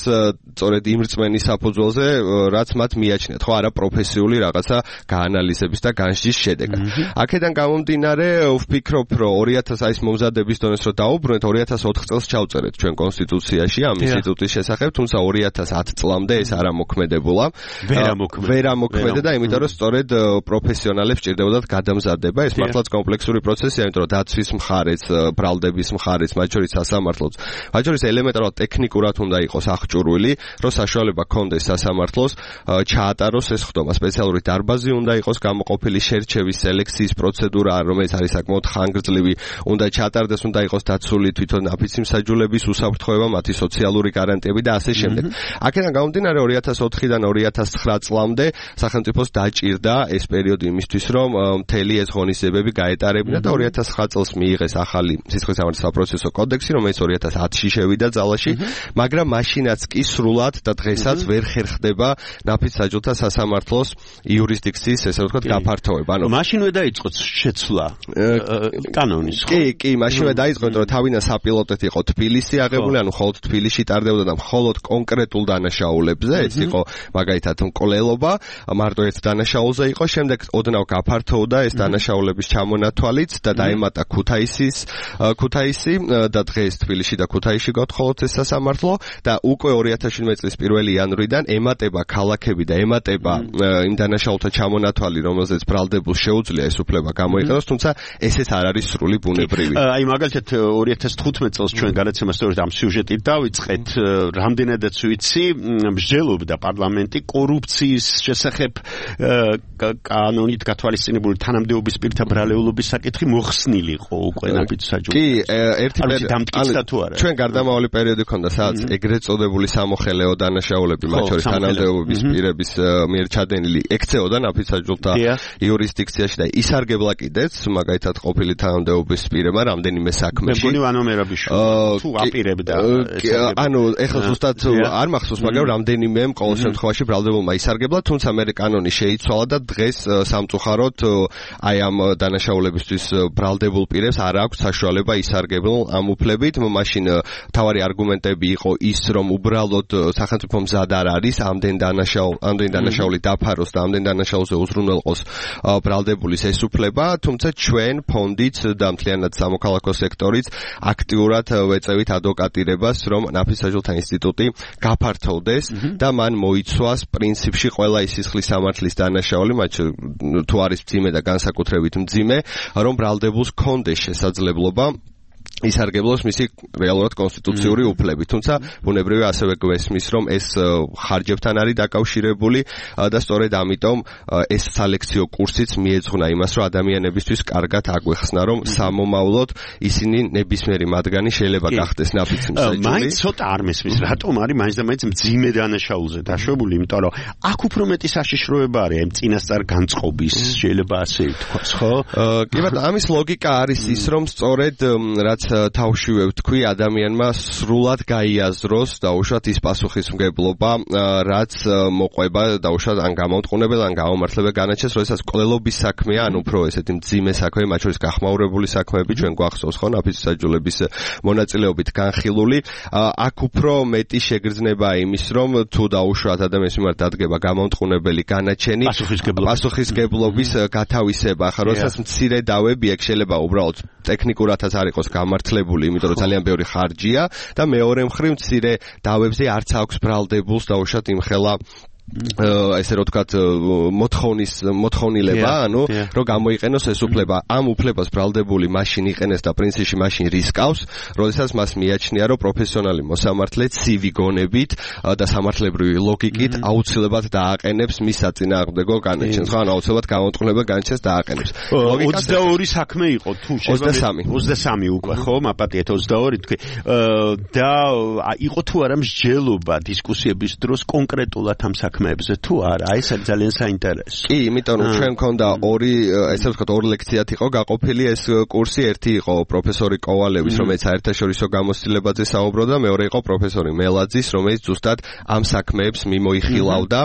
სწორედ იმ რწმენის საფუძველზე, რაც მათ მიაჩნიათ, ხო, არა პროფესიული რაღაცა გაანალიზების და განსჯის შედეგად. აქედან გამომდინარე, ვფიქრობ, რომ 2000 ის მომზადების დონეს რო დაუბრუნეთ, 2004 წელს ჩავწერეთ ჩვენ კონსტიტუციაში ამ ინსტიტუტის შესახებ, თუმცა 2010 წლამდე ეს არ ამოქმედებულა. ვერ ამოქმედა და იმიტომ რომ სწორედ პროფესიონალებს სჭირდებოდათ გადამზადება, ეს მართლაც კომპლექსური პროცესია, იმიტომ რომ დაცვის მხარეც, ბრალდების მხარეც, მათ შორის სასამართლოც, მათ შორის ელემენტარულად ტექნიკურად უნდა იყოს აღჭურვილი, რომ საშუალება ქონდეს სასამართლოს ჩაატაროს ეს ხდომა. სპეციალური დარბაზი უნდა იყოს გამოყოფილი, შერჩევის სელექციის პროცედურა, რომელიც არის საკმაოდ ხანგრძლივი, უნდა ჩაატარდეს, უნდა იყოს დაცული თვითონ ნაფიცი მსაჯულების უსაფრთხოება, მათი სოციალური გარანტიები და ასე შემდეგ. აქედან გამომდინარე 2004-დან 2009 წლამდე სახელმწიფოს დაჭირდა ეს პერიოდი იმისთვის, რომ მთელი ეს ღონისძიებები გაეტარებინა და 2009 წელს მიიღეს ახალი სისხლის სამართლის საპროცესო კოდექსი, რომელიც 2010-ში შევიდა ძალაში, მაგრამ მაშინაც კი სრულად და დღესაც ვერ ხერხდება ნაფიც მსაჯულთა სასამართლოს იურისდიქციის, ესე ვთქვათ, გაფართოება. ანუ მაშინვე დაიწყო შეცვლა კანონის, ხო? კი, მაშინვე დაიწყო, რომ თავინა საპილოტეთ იყო თბილისი აღებული, ანუ მხოლოდ თბილისში ტარდებოდა და მხოლოდ კონკრეტულ დანაშაულებზე, ეს იყო მაგალითად მკვლელობა, მარტო ერთ დანაშაულზე იყო, შემდეგ ოდნავ გაფართოვდა ეს დანაშაულების ჩამონათვალიც და დაემატა ქუთაისი და დღეს თბილისში და ქუთაისში გათხოვოთ ეს სასამართლო და უკვე 2017 წლის 1 იანვრიდან ემატება ქალაქები და ემატება იმ დანაშაულთა ჩამონათვალი, რომელზეც ბრალდებულს შეუძლია ეს უფლება გამოიყენოს, თუმცა ესეც არ არის სრული ბუნებრივი. აი მაგალითად 2015 წელს ჩვენ გადაცემას სწორედ ამ სიუჟეტით დავიწყეთ, რამდენადაც ვიცი, მსჯელობდა პარლამენტი კორუფციის შესახებ კანონით გათვალისწინებული თანამდებობის პირთა ბრალეულობის საკითხი მოხსნილი იყო უკვე ნაფიც მსაჯულთა. კი, ერთი ჩვენ გარდამავალი პერიოდი ქონდა, სადაც ეგრეთ წოდებული სამოხელეო დანაშაულები, მათ შორის თანამდებობის პირების მიერ ჩადენილი ექცეოდა ნაფიც მსაჯულთა იურისდიქციაში და ისარგებლა კიდეც, მაგალითად ყოფილი თანამდებობის პირებმა რამდენიმე საქმეში. მეგონი ვანომერაბიშვილი თუ აპირებდა. ანუ ეხლა ზუსტად არ მახსოვს, მაგრამ რამდენიმემ ყოველ შემთხვევაში ბრალდებულმა ისარგებლა, თუმცა მე კანონი შეიცვალა და დღეს სამწუხაროდ აი ამ დანაშაულებისთვის ბრალდებულ პირებს არ აქვს საშუალება ისარგებლონ ამ უფლებით. მაშინ თავარი არგუმენტები იყო ის, რომ უბრალოდ სახელმწიფო მზად არ არის ამდენ დანაშაული დაფაროს და ამდენ დანაშაულზე უზრუნველყოს ბრალდებულის ეს უფლება, თუმცა ჩვენ ფონდიც და მთლიანად სამოქალაქო სექტორიც აქტიურად ვეწევით ადვოკატირებას, რომ ნაფიც მსაჯულთა ინსტიტუტი გაფართოვდეს და მან მოიცვას პრინციპში ყველა ის სისხლის სამართლის დანაშაული, მათ თუ არის მძიმე და განსაკუთრებით მძიმე, რომ ბრალდებულს კონდეს შესაძლებლობა ისარგებლოს მისი რეალურად კონსტიტუციური უფლები. თუმცა ბუნებრივია ასევე გვესმის, რომ ეს ხარჯებთან არის დაკავშირებული და სწორედ ამიტომ ეს სალექციო კურსიც მიეძღვნა იმას, რომ ადამიანებისთვის კარგად აგვეხსნა, რომ სამომავლოდ ისინი ნებისმიერი მათგანი შეიძლება გახდეს ნაფიც მსაჯული. მაინც ცოტა არ მესმის, რატომ არის მაინც და მაინც მძიმე დანაშაულზე დაშვებული, იმიტომ რომ აქ უფრო მეტი საშიშროება არის ამ წინასწარ განწყობის, შეიძლება ასე ვთქვას, ხო? კი ბატონო, ამის ლოგიკა არის ის, რომ სწორედ რაც თავშივე ვთქვი, ადამიანმა სრულად გაიაზროს დაუშვათ ის პასუხისმგებლობა, რაც მოყვება დაუშვათ ან გამომტყუნებელ ან გამომართლებელ განაჩენს, როდესაც კვლელობის საქმეა, ან უფრო ესეთი მძიმე საქმე, მათ შორის გახმაურებული საქმეები ჩვენ გვახსოვს, ხო, ნაფიც მსაჯულების მონაწილეობით განხილული. აქ უფრო მეტი შეგრძნებაა იმის, რომ თუ დაუშვათ ადამიანის მიმართ დადგება გამომტყუნებელი განაჩენი, პასუხისმგებლობის გათავისება, ახლა როდესაც მცირე დავები აქ შეიძლება უბრალოდ ტექნიკურადაც არ იყოს გამართლებული, იმიტომ რომ ძალიან ბევრი ხარჯია და მეორე მხრივ მცირე დავებზე არც აქვს ბრალდებულს დაუშვათ იმხელა ესე რომ ვთქვათ მოთხოვნილება, ანუ რომ გამოიყენოს ეს უფლება. ამ უფლებას ბრალდებული მაშინ იყენეს და პრინციპში მაშინ რისკავს, როდესაც მას მიაჩნია, რომ პროფესიონალი მოსამართლე ცივი გონებით და სამართლებრივი ლოგიკით აუცილებლად დააყენებს მის საწინააღმდეგო განაჩენს, ხო, ანუ აუცილებლად გამომტყუნებელ განაჩენს დააყენებს. 22 საქმე იყო თუ შეიძლება 23 უკვე, ხო, მაპატიეთ 22 თქვი. და იყო თუ არა მსჯელობა დისკუსიების დროს კონკრეტულად ამ საქმეებზე თუ არა? აი ეს ძალიან საინტერესო. კი, იმიტომ რომ ჩვენ მქონდა ესე ვთქვათ, ორი ლექციად იყო გაყოფილი ეს კურსი, ერთი იყო პროფესორი კოვალევის, რომელიც საერთაშორისო გამოცდილებაზე საუბრობდა, მეორე იყო პროფესორი მელაძის, რომელიც ზუსტად ამ საქმეებს მიმოიხილავდა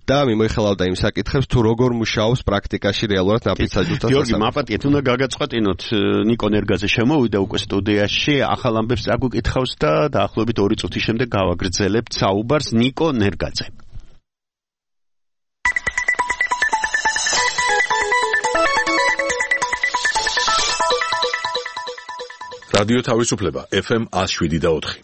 და მიმოიხილავდა იმ საკითხებს, თუ როგორ მუშაობს პრაქტიკაში რეალურად ნაფიც-საჯულთა სასამართლო. გიორგი, მაპატიეთ, უნდა გაგაწყვეტინოთ, ნიკო ნერგაძე შემოვიდა უკვე სტუდიაში, ახალ ამბებს წაგვიკითხავს და დაახლოებით 2 წუთის შემდეგ გავაგრძელებთ საუბარს. ნიკო ნერგაძე. რადიო თავისუფლება FM 107.4.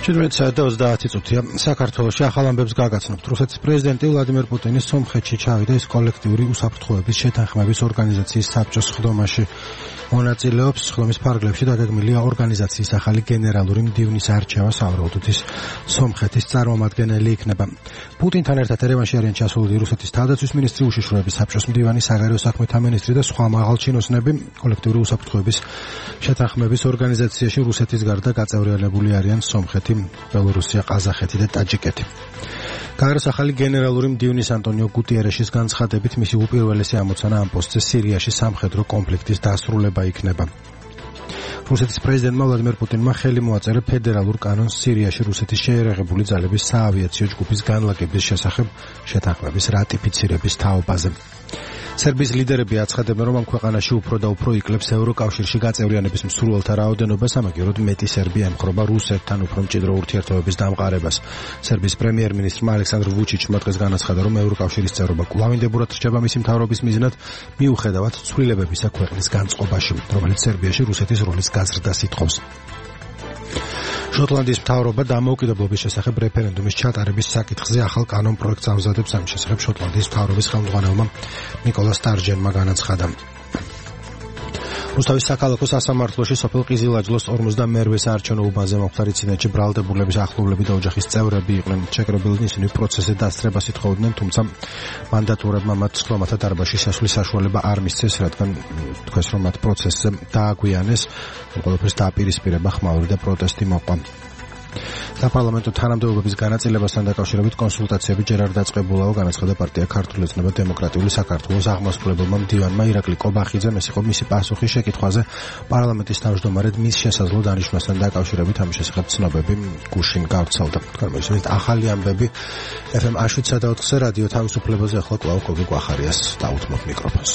და 30 წუთია საქართველოში ახალ ამბებს გაგაცნობთ. რუსეთის პრეზიდენტი ვლადიმერ პუტინი სომხეთში ჩავიდა ის კოლექტიური უსაფრთხოების შეთანხმების ორგანიზაციის საბჭოს სხდომაში. მონაწილეობს სხდომის ფარგლებში დაგეგმილია ორგანიზაციის ახალი გენერალური მდივნის არჩევა, სავარაუდოდ ის სომხეთის წარმომადგენელი იქნება. პუტინთან ერთად ერევანში არიან ჩასულები რუსეთის თავდაცვის მინისტრი, უშიშროების საბჭოს მდივანი, საგარეო საქმეთა მინისტრი და სხვა მაღალჩინოსნები. კოლექტიური უსაფრთხოების შეთანხმების ორგანიზაციაში რუსეთის გარდა გაწევრიანებული არიან სომხეთი, ბელორუსია, ყაზახეთი და ტაჯიკეთი. გაეროს ახალი გენერალური მდივნის ანტონიო გუტიერეშის განცხადებით მისი უპირველესი ამოცანა ამ პოსტზე სირიაში სამხედრო კონფლიქტის დასრულება იქნება. რუსეთის პრეზიდენტმა ვლადიმერ პუტინმა ხელი მოაწერა ფედერალურ კანონს სირიაში რუსეთის შეერაღებული ძალების საავიაციო ჯგუფის განლაგების შესახებ შეთანხმების რატიფიცირების თაობაზე. სერბიის ლიდერები აცხადებენ, რომ ამ ქვეყანაში უფრო და უფრო იკლებს ევროკავშირში გაწევრიანების მსურველთა რაოდენობას, ამაგეროდ მეტი სერბი ემხრობა რუსეთთან უფრო მჭიდრო ურთიერთობების დამყარებას. სერბიის პრემიერ-მინისტრმა ალექსანდრ ვუჩიჩმა დღეს განაცხადა, რომ ევროკავშირის წევრობა კვლავინდებურად რჩება მისი მთავრობის მიზნად, მიუხედავად ცვლილებებისა ქვეყნის განწყობაში, რომელიც სერბიაში რუსეთის როლის გაზრდას ითხოვს. შოტლანდიის მთავრობა დამოუკიდებლობის შესახებ რეფერენდუმის ჩატარების საკითხზე ახალ კანონ პროექტს ამზადებს. ამის შესახებ შოტლანდიის მთავრობის ხელმძღვანელმა ნიკოლა სტარჯენმა განაცხადა. რუსთავის საქალაქო სასამართლოში სოფელ ყიზილაჯლოს 52-ე საარჩევნო უბანზე მომხდარი ინციდენტში ბრალდებულების ახლობლები და ოჯახის წევრები იყვნენ ჩეკრებილნი, ისინი პროცესზე დასწრებას ითხოვდნენ, თუმცა მანდატურებმა მათ სხდომათა დარბაზში შესვლის საშუალება არ მისცეს, რადგან თქვეს, რომ მათ პროცესზე დააგვიანეს, ყველაფერს დააპირისპირება ხმაური და პროტესტი მოყვა. საპარლამენტო თანამდებობების განაწილებასთან დაკავშირებით კონსულტაციები ჯერ არ დაწყებულაო, განაცხადა პარტია ქართული ოცნება დემოკრატიული საქართველოს აღმასრულებელმა მდივანმა ირაკლი კობახიძემ. ეს იყო მისი პასუხი შეკითხვაზე პარლამენტის თავმჯდომარედ მის შესაძლო დანიშვნასთან დაკავშირებით. ამის შესახებ ცნობები გუშინ გავრცელდა. თქვენ მოგესმენთ ახალი ამბები FM 107.4-ზე რადიო თავისუფლებაზე. ახლა კვლავ გოგი გვახარიას დაუთმობ მიკროფონს.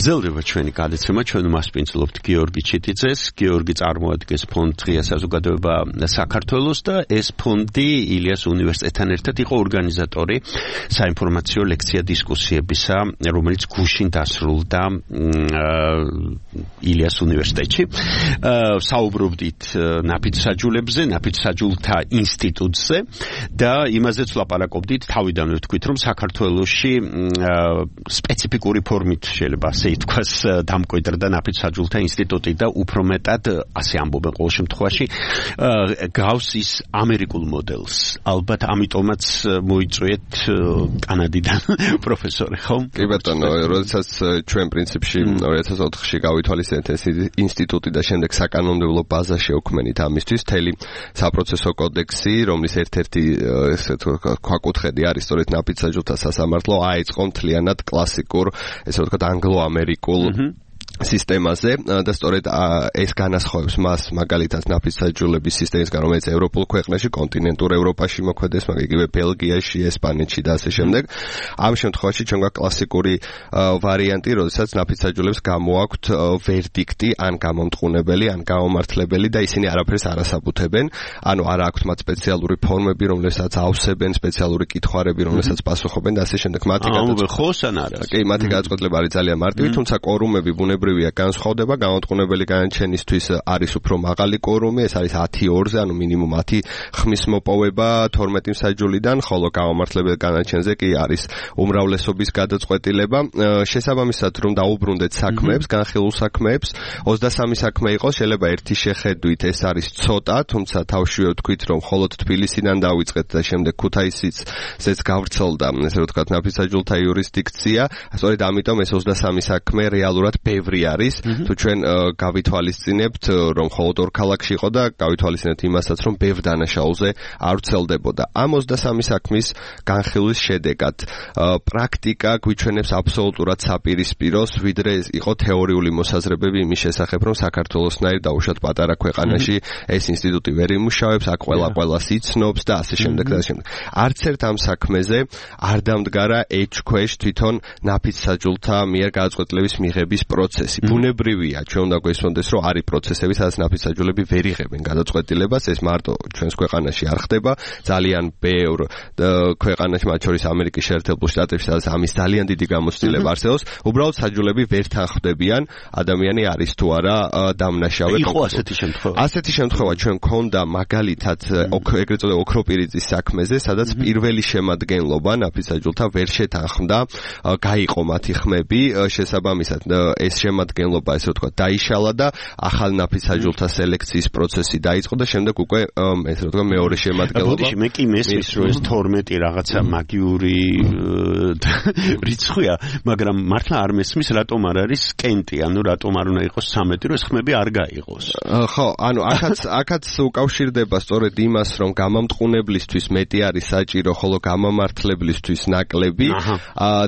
გრძელდება ჩვენი გადაცემა, ჩვენ მასპინძლობთ გიორგი ჩიტიძეს. გიორგი წარმოადგენს ფონდ ღია საზოგადოება საქართველოს და ეს ფონდი ილიას უნივერსიტეტთან ერთად იყო ორგანიზატორი საინფორმაციო ლექცია დისკუსიებისა, რომელიც გუშინ დასრულდა ილიას უნივერსიტეტში. საუბრობდით ნაფიც-საჯულებზე, ნაფიც-საჯულთა ინსტიტუტზე და იმაზეც ვლაპარაკობდით, თავიდანვე ვთქვით, რომ საქართველოში სპეციფიკური ფორმით შეიძლება ასე ითქვას დამკვიდრდა ნაფიც-საჯულთა ინსტიტუტი და უფრო მეტად ასე ამბობენ ყოველ შემთხვევაში გავს ის ამერიკულ მოდელს. ალბათ ამიტომაც მოიწვიეთ კანადიდან პროფესორი, ხო? კი ბატონო, როდესაც ჩვენ პრინციპში 2004-ში გავითვალისწინეთ ეს ინსტიტუტი და შემდეგ საკანონმდებლო ბაზა შევქმნით ამისთვის, მთელი საპროცესო კოდექსი, რომლის ერთ-ერთი ესე ვთქვათ ქვაკუთხედი არის სწორედ ნაფიც-საჯულთა სასამართლო, აიწყო მთლიანად კლასიკურ, ესე ვთქვათ ანგლო-ამერიკულ სისტემაზე და სწორედ ეს განასხვავებს მას მაგალითად ნაფიც-საჯულების სისტემისგან, რომელიც ევროპულ ქვეყნებში, კონტინენტურ ევროპაში მოქმედებს, მაგრამ იგივე ბელგიაში, ესპანეთში და ასე შემდეგ. ამ შემთხვევაში ჩვენ გვაქვს კლასიკური ვარიანტი, როდესაც ნაფიც-საჯულებს გამოაქვთ ვერდიქტი, ან გამომტყუნებელი, ან გამომართლებელი და ისინი არაფერს არ ასაბუთებენ. ანუ არ აქვთ მათ სპეციალური ფორმები, რომლებსაც ავსებენ, სპეციალური კითხვარები, რომლებსაც პასუხობენ და ასე შემდეგ. მათი გადაწყვეტილება არის ძალიან მარტივი, თუმცა კვორუმები ბუნებრივია ჩვეულებრივია განსხვავდება, განმტყუნებელი განაჩენისთვის არის უფრო მაღალი კვორუმი, ეს არის 10-2-ზე, ანუ მინიმუმ 10 ხმის მოპოვება 12 მსაჯულიდან, ხოლო გამომართლებელ განაჩენზე კი არის უმრავლესობის გადაწყვეტილება. შესაბამისად, რომ დაუბრუნდეთ საქმეებს, განხილულ საქმეებს, 23 საქმე იყოს, შეიძლება ერთი შეხედვით ეს არის ცოტა, თუმცა თავშივე ვთქვით, რომ მხოლოდ თბილისიდან დავიწყეთ და შემდეგ ქუთაისიც გავრცელდა, ესე რომ ვთქვათ, ნაფიცაჯულთა იურისდიქცია. სწორედ ამიტომ ეს 23 საქმე რეალურად ბევრი არის, თუ ჩვენ გავითვალისწინებთ, რომ მხოლოდ ორ ქალაქში იყო და გავითვალისწინებთ იმასაც, რომ ბევრ დანაშაულზე არ ვრცელდებოდა. ამ 23 საქმის განხილვის შედეგად პრაქტიკა გვიჩვენებს აბსოლუტურად საპირისპიროს, ვიდრე იყო თეორიული მოსაზრებები იმის შესახებ, რომ საქართველოსნაირ დაუშვათ პატარა ქვეყანაში ეს ინსტიტუტი ვერ იმუშავებს, აქ ყველას იცნობს და ასე შემდეგ და ასე შემდეგ. არც ერთ ამ საქმეზე არ დამდგარა ეჭქვეშ თვითონ ნაფიცსაჯულთა მიერ გადაწყვეტილების მიღების პროცესი. ბუნებრივია, ჩვენ უნდა გვესმოდეს, რომ არის პროცესები, სადაც ნაფიცსაჯულები ვერ იღებენ გადაწყვეტილებას, ეს მარტო ჩვენს ქვეყანაში არ ხდება, ძალიან ბევრ ქვეყანაში, მათ შორის ამერიკის შეერთებულ შტატებში, სადაც ამის ძალიან დიდი გამოცდილება არსებობს, უბრალოდ საჯულები ვერ თანხმდებიან, ადამიანი არის თუ არა დამნაშავე. იყო ასეთი შემთხვევა. ასეთი შემთხვევა ჩვენ გქონდა მაგალითად ეგრეთ წოდებული ოქროპირიწის საქმეზე, სადაც პირველი შემადგენლობა ნაფიცსაჯულთა ვერ შეთანხმდა, გაიყო მათი ხმები, შესაბამისად ეს შემადგენლობა, ესე ვთქვათ, დაიშალა და ახალ ნაფიცსაჯულთა სელექციის პროცესი დაიწყო და შემდეგ უკვე ესე ვთქვათ, მეორე შემადგენლობა. ბოდიში მე კი მესმის, რომ ეს 12 რაღაცა მაგიური რიცხვია, მაგრამ მართლა არ მესმის, რატომ არ არის კენტი, ანუ რატომ არ უნდა იყოს 13, რომ ეს ხმები არ გაიყოს. ხო, ანუ აქაც უკავშირდება სწორედ იმას, რომ გამამტყუნებლისთვის მეტი არის საჭირო, ხოლო გამამართლებლისთვის ნაკლები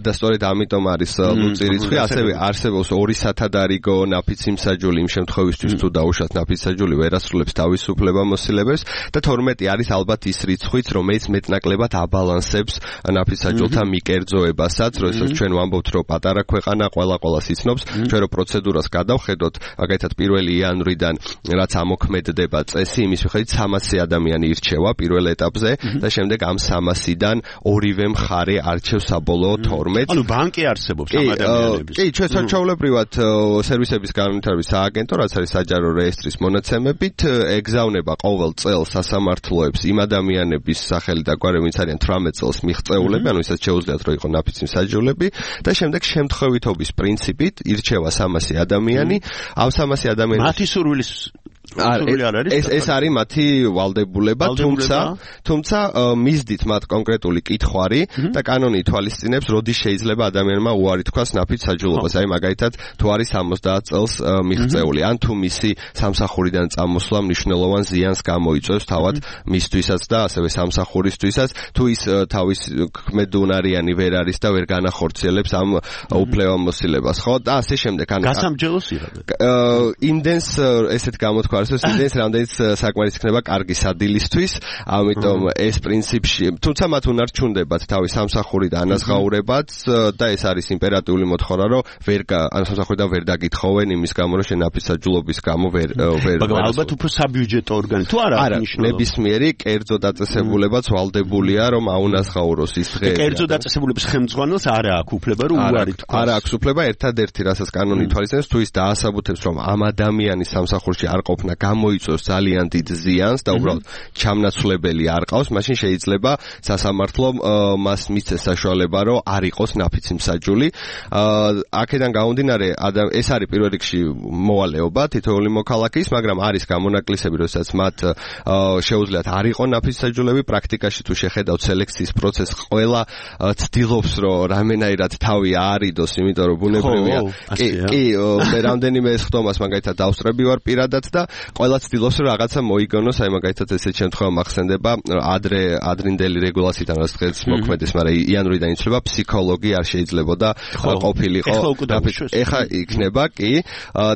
და სწორედ ამიტომ არის ლუწი რიცხვი, ასევე არსებობს 2 სათადარიგო ნაფიციმსაჯული იმ შემთხვევისთვის, თუ დაუშვათ ნაფიცსაჯული ვერ ასრულებს თავისუფლებამოსილებებს და 12 არის ალბათ ის რიცხვიც, რომელიც მეტნაკლებად აბალანსებს ნაფიცსაჯულთა მიკერძოებასაც, როდესაც ჩვენ ვამბობთ, რომ პატარა ქვეყანა ყველას იცნობს, ჩვენ რო პროცედურას გადავხედოთ, მაგალითად 1 იანვრიდან რაც ამოქმედდება წესი, იმის მიხედვით 300 ადამიანი ირჩევა პირველ ეტაპზე და შემდეგ ამ 300-დან ორივე მხარე არჩევს საბოლოო 12. ანუ ბანკი არსებობს ამ ადამიანების. კი, ჩვენ საჩვეულებრივად სერვისების განვითარების სააგენტო, რაც არის საჯარო რეესტრის მონაცემებით, ეგზავნება ყოველ წელს სასამართლოებს იმ ადამიანების სახელი და გვარი, ვინც არიან 18 წელს მიღწეულები, ანუ ისაც შეუძლიათ, რომ იყო ნაფიცმსაჯულები და შემდეგ შემთხვევითობის პრინციპით ირჩევა 300 ადამიანი, ამ 300 ადამიანის მათი სურვილის ეს არის მათი ვალდებულება, თუმცა მისდით მათ კონკრეტული კითხვარი და კანონი ითვალისწინებს, როდის შეიძლება ადამიანმა უარი თქვას ნაფიცსაჯულობას, აი მაგალითად თუ არის 70 წელს მიღწეული, ან თუ მისი სამსახურიდან წამოსვლა მნიშვნელოვან ზიანს გამოიწვევს თავად მისთვისაც და ასევე სამსახურისთვისაც, თუ ის თავის ქმედუნარიანი ვერ არის და ვერ განახორციელებს ამ უფლებამოსილებას, ხო? და ასე შემდეგ. გასამჯელოს იღებენ. იმდენს ესეთ გამოთქვა არსებობს, იმდენს რამდენიც საკმარისი იქნება კარგი სადილისთვის, ამიტომ ეს პრინციპში, თუმცა მათ უნარჩუნდებათ თავის სამსახური და ანაზღაურებაც და ეს არის იმპერატიული მოთხოვნა, რომ სამსახურიდან ვერ დაგითხოვენ იმის გამო, რომ შენ ნაფიცსაჯულობის გამო ვერ მაგრამ ალბათ უფრო საბიუჯეტო ორგანო თუ არა აღნიშნულობა. ნებისმიერი კერძო დაწესებულებაც ვალდებულია, რომ აუნაზღაუროს ის დღე. კერძო დაწესებულების ხელმძღვანელს არა აქვს უფლება, რომ უარი თქვას. არა აქვს უფლება, ერთადერთი რასაც კანონი ითვალისწინებს, თუ ის დაასაბუთებს, რომ ამ ადამიანის სამსახურში არ ყოფნა გამოიწვევს ძალიან დიდ ზიანს და უბრალოდ ჩამნაცვლებელი არ ყავს, მაშინ შეიძლება სასამართლომ მას მისცეს საშუალება, რომ არ იყოს ნაფიცმსაჯული. აქედან გამომდინარე, ეს არის პირველ რიგში მოვალეობა თითოეული მოქალაქის, მაგრამ არის გამონაკლისები, როდესაც მათ შეუძლიათ არ იყო ნაფიცსაჯულები, პრაქტიკაში თუ შეხედავთ სელექციის პროცესს, ყველა ცდილობს, რომ რამენაირად თავი აარიდოს, იმიტომ რომ ბუნებრივია. კი, მე რამდენიმე ხდომას მაგალითად დავსწრები ვარ პირადად და ყველა ცდილობს, რომ რაღაცა მოიგონოს, აი მაგალითად ესეთ შემთხვევა მახსენდება, ადრინდელი რეგულაციიდან რაც დღეს მოქმედეს, მაგრამ იანვრიდან იცვლება ფსიქოლოგი არ შეიძლებოდა ყოფილიყო. ეხა იქნება, კი,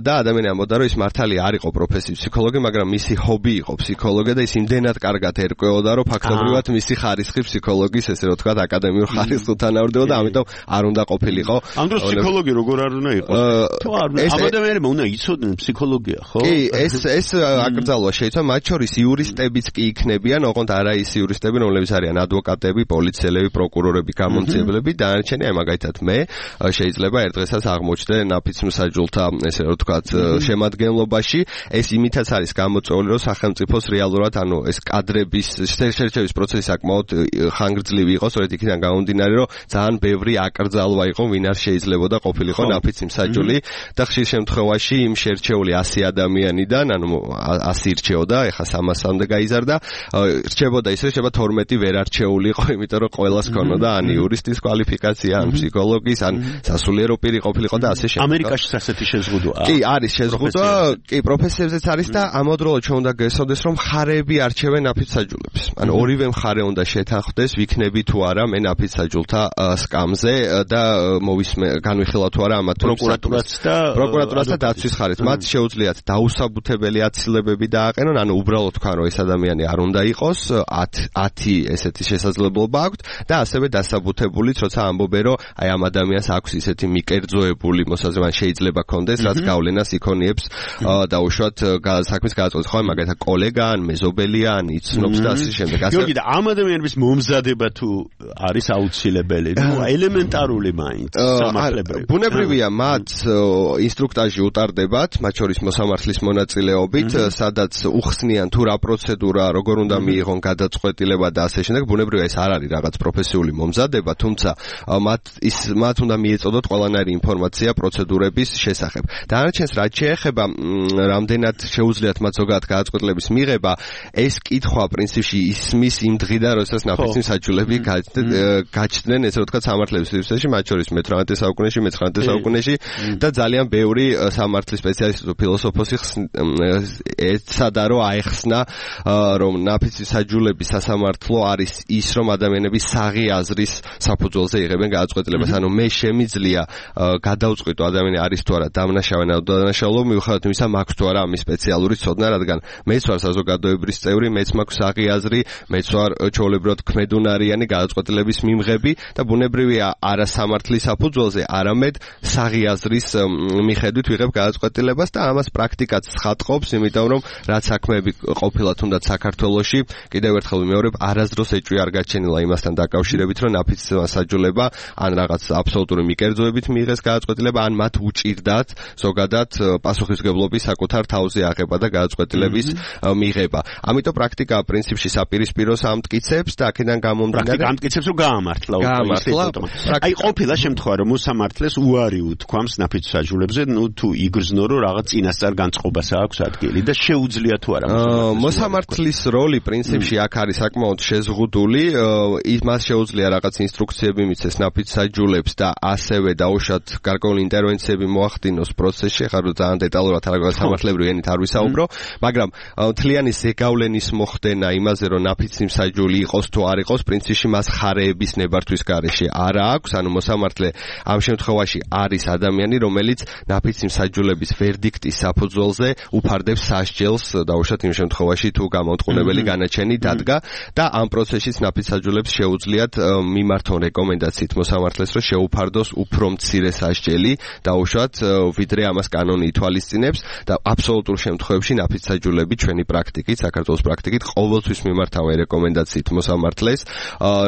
და ადამიანი ამბობდა, რომ ის მართალია არ იყო პროფესიის ფსიქოლოგი, მაგრამ მისი ჰობი იყო ფსიქოლოგია და ის იმდენად კარგად ერკვეოდა, რომ ფაქტობრივად მისი ხარისხი ფსიქოლოგის, ესე რომ თქვათ, აკადემიურ ხარისხს უთანაურდებოდა, ამიტომ არ უნდა ყოფილიყო. ამ დროს ფსიქოლოგი როგორ არ უნდა იყოს? თუ არ ამ ადამიანებმა უნდა იცოდნენ ფსიქოლოგია, ხო? კი, ეს ეს აკრძალვა შეიძლება მათ შორის იურისტებიც კი იქნებიან, ოღონდ არა ის იურისტები, რომლებიც არიან ადვოკატები, პოლიციელები, პროკურორები, გამომცემლები, დანარჩენი აი მაგალითად მე შეიძლება ერთ დღესაც აღმოჩნდე ნაფიცმსაჯულთა ესე რომ ვთქვათ შემადგენლობაში, ეს იმითაც არის გამოწვეული, რომ სახელმწიფოს რეალურად ანუ ეს კადრების შერჩევის პროცესი საკმაოდ ხანგრძლივი იყო, სწორედ იქიდან გამომდინარე, რომ ძალიან ბევრი აკრძალვა იყო, ვინ არ შეიძლებოდა ყოფილიყო ნაფიცმსაჯული და ხშირ შემთხვევაში იმ შერჩეული 100 ადამიანიდან, ანუ 100 ირჩეოდა, ეხლა 300-მდე გაიზარდა, რჩებოდა ისე, შეიძლება 12 ვერ არჩეულიყო, იმიტომ რომ ყველას ქონოდა ან იურისტის კვალიფიკაცია, ან ფსიქოლოგის, ან სასულიერო პირი ყოფილიყო და ასე შემდეგ. ამერიკაშიც ასეთი შეზღუდვაა. კი, არის შეზღუდვა, კი, პროფესიებზეც არის და ამავდროულად ჩვენ უნდა გესწროს, რომ მხარეები არჩევენ ნაფიცმსაჯულებს. ანუ ორივე მხარე უნდა შეთანხმდეს, ვიქნები თუ არა მე ნაფიცმსაჯულთა სკამზე და განვიხილავ თუ არა ამათ პროკურატურას და დაცვის ხარეთ. მათ შეუძლიათ დაუსაბუთებელი აცილებები დააყენონ, ანუ უბრალოდ თქვა რომ ეს ადამიანი არ უნდა იყოს, 10 ესეთი შესაძლებლობა აქვთ და ასევე დასაბუთებულიც, როცა ამბობენ რომ აი ამ ადამიანს აქვს ისეთი მიკერძოებული მოსაზრება შეიძლება კონდეს, რაც გავლენას იქონიებს და უშუალოდ საქმის გადაწყვეტს ხო მაგალითად კოლეგა ან მეზობელია ან იცნობს და ასე შემდეგ. გიორგი და ამ ადამიანების მომზადება თუ არის აუცილებელი, ნუ ელემენტარული მაინც სამართლებრივი. ბუნებრივია მათ ინსტრუქტაჟი უტარდებათ, მათ შორის მოსამართლის მონაწილეობით, სადაც უხსნიან თუ რა პროცედურა, როგორ უნდა მიიღონ გადაწყვეტილება და ასე შემდეგ. ბუნებრივია ეს არ არის რაღაც პროფესიული მომზადება, თუმცა მათ უნდა მიეწოდოთ ყველანაირი ინფორმაცია პროცედურების შესახებ. დანარჩენს რაც შეეხება რამდენად შეუძლიათ მათ ზოგადად გადაწყვეტილების მიღება, ეს კითხვა პრინციპში ისმის იმ დღიდან, როდესაც ნაფიცმსაჯულები გაჩნდნენ, ესე რომ ვთქვათ, სამართლების სივრცეში, მათ შორის მე-18 საუკუნეში, მე-19 საუკუნეში და ძალიან ბევრი სამართლის სპეციალისტი თუ ფილოსოფოსი ეცადა რომ აეხსნა, რომ ნაფიცმსაჯულების სასამართლო არის ის, რომ ადამიანები საღი აზრის საფუძველზე იღებენ გადაწყვეტილებას. ანუ მე შემიძლია გადავწყვიტო ადამიანი არის თუ არა დამნაშავე ან უდანაშაულო, მიუხედავად იმისა, მაქვს თუ არა ამის სპეციალური ცოდნა, რადგან მეც ვარ საზოგადოებრივი წევრი, მეც მაქვს საღი აზრი, მეც ვარ ჩვეულებრივად ქმედუნარიანი გადაწყვეტილების მიმღები და ბუნებრივია არა სამართლის საფუძველზე, არამედ საღი აზრის მიხედვით ვიღებ გადაწყვეტილებას და ამას პრაქტიკაც ცხადყოფს, იმიტომ რომ რაც საქმეები ყოფილა თუნდაც საქართველოში, კიდევ ერთხელ ვიმეორებ, არასდროს ეჭვი არ გაჩენილა იმასთან დაკავშირებით, რომ ნაფიცმსაჯულება ან რაღაც აბსოლუტური მიკერძოებით მიიღეს გადაწყვეტილება, ან მათ უჭირდათ ზოგადად პასუხისმგებლობის საკუთარ თავზე აღება და გადაწყვეტილების მიღება. ამიტომ პრაქტიკა პრინციპში საპირისპიროს ამტკიცებს და აქედან გამომდინარე ამტკიცებს რომ გაამართლა. აი ყოფილა შემთხვევა რომ მოსამართლეს უარი უთქვამს ნაფიცმსაჯულებზე, ნუ თუ იგრძნო რომ რაღაც წინასწარ განწყობას აქვს ადგილი და შეუძლია თუ არა მოსამართლის როლი პრინციპში აქ არის საკმაოდ შეზღუდული, მას შეუძლია რაღაც ინსტრუქციები მიცეს ნაფიცმსაჯულებს და ასევე დაუშვათ გარკვეული ინტერვენციები მოახდინოს პროცესში, ხარ ძალიან დეტალურად რაღაც სამართლებრივი ენით არ ვისაუბრო, მაგრამ მთლიანი ზეგავლენის მოხდენა იმაზე რომ ნაფიცმსაჯული იყოს თუ არ იყოს, პრინციპში მას ხარეების ნებართვის გარეშე არ აქვს, ანუ მოსამართლე ამ შემთხვევაში არის ადამიანი, რომელიც ნაფიცმსაჯულების ვერდიქტის საფუძველზე უფარდებს სასჯელს, დაუშვათ იმ შემთხვევაში თუ გამომტყუნებელი განაჩენი დადგა და ამ პროცესშიც ნაფიცმსაჯულებს შეუძლიათ მიმართონ რეკომენდაციით მოსამართლეს, რომ შეუფარდოს უფრო მცირე სასჯელი, დაუშვათ ვიდრე ამას კანონი ითვალისწინებს და აბსოლუტურ შემთხვევებში ნაფიცმსაჯულები ჩვენი პრაქტიკით, საქართველოს პრაქტიკით ყოველთვის მიმართავენ რეკომენდაციით მოსამართლეს,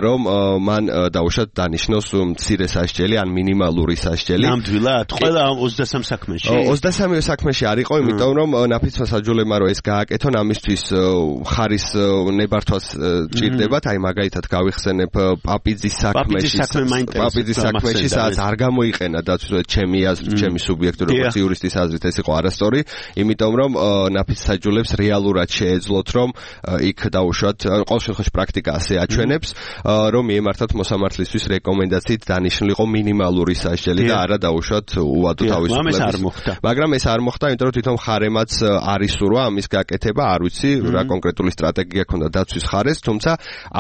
რომ მან დაუშვათ დანიშნოს მცირე სასჯელი ან მინიმალური სასჯელი. ნამდვილად, ყველა 23 საქმეში. 23 საქმეში არ იყო, იმიტომ რომ ნაფიცმსაჯულებმა რომ ეს გააკეთონ, ამისთვის ხარის ნებართვას ჭირდებათ, აი მაგალითად გავიხსენებ პაპიძის საქმეში, სადაც არ გამოიყენა დაცვა ჩემი აზრით, ჩემი სუბიექტური როგორც იურისტის აზრით ეს იყო არასწორი, იმიტომ რომ ნაფიცმსაჯულებს რეალურად შეეძლოთ, რომ იქ დაუშვათ, ყოველ შემთხვევაში პრაქტიკა ასე აჩვენებს, რომ მიემართათ მოსამართლისთვის რეკომენდაციით დანიშნულიყო მინიმალური სასჯელი და არა დაუშვათ უვადო თავისუფლების. მაგრამ ეს არ მოხდა, იმიტომ რომ თვითონ ხარემაც არის სურვა ამის გაკეთება, არ ვიცი რა კონკრეტული სტრატეგია ქონდა დაცვის ხარეს, თუმცა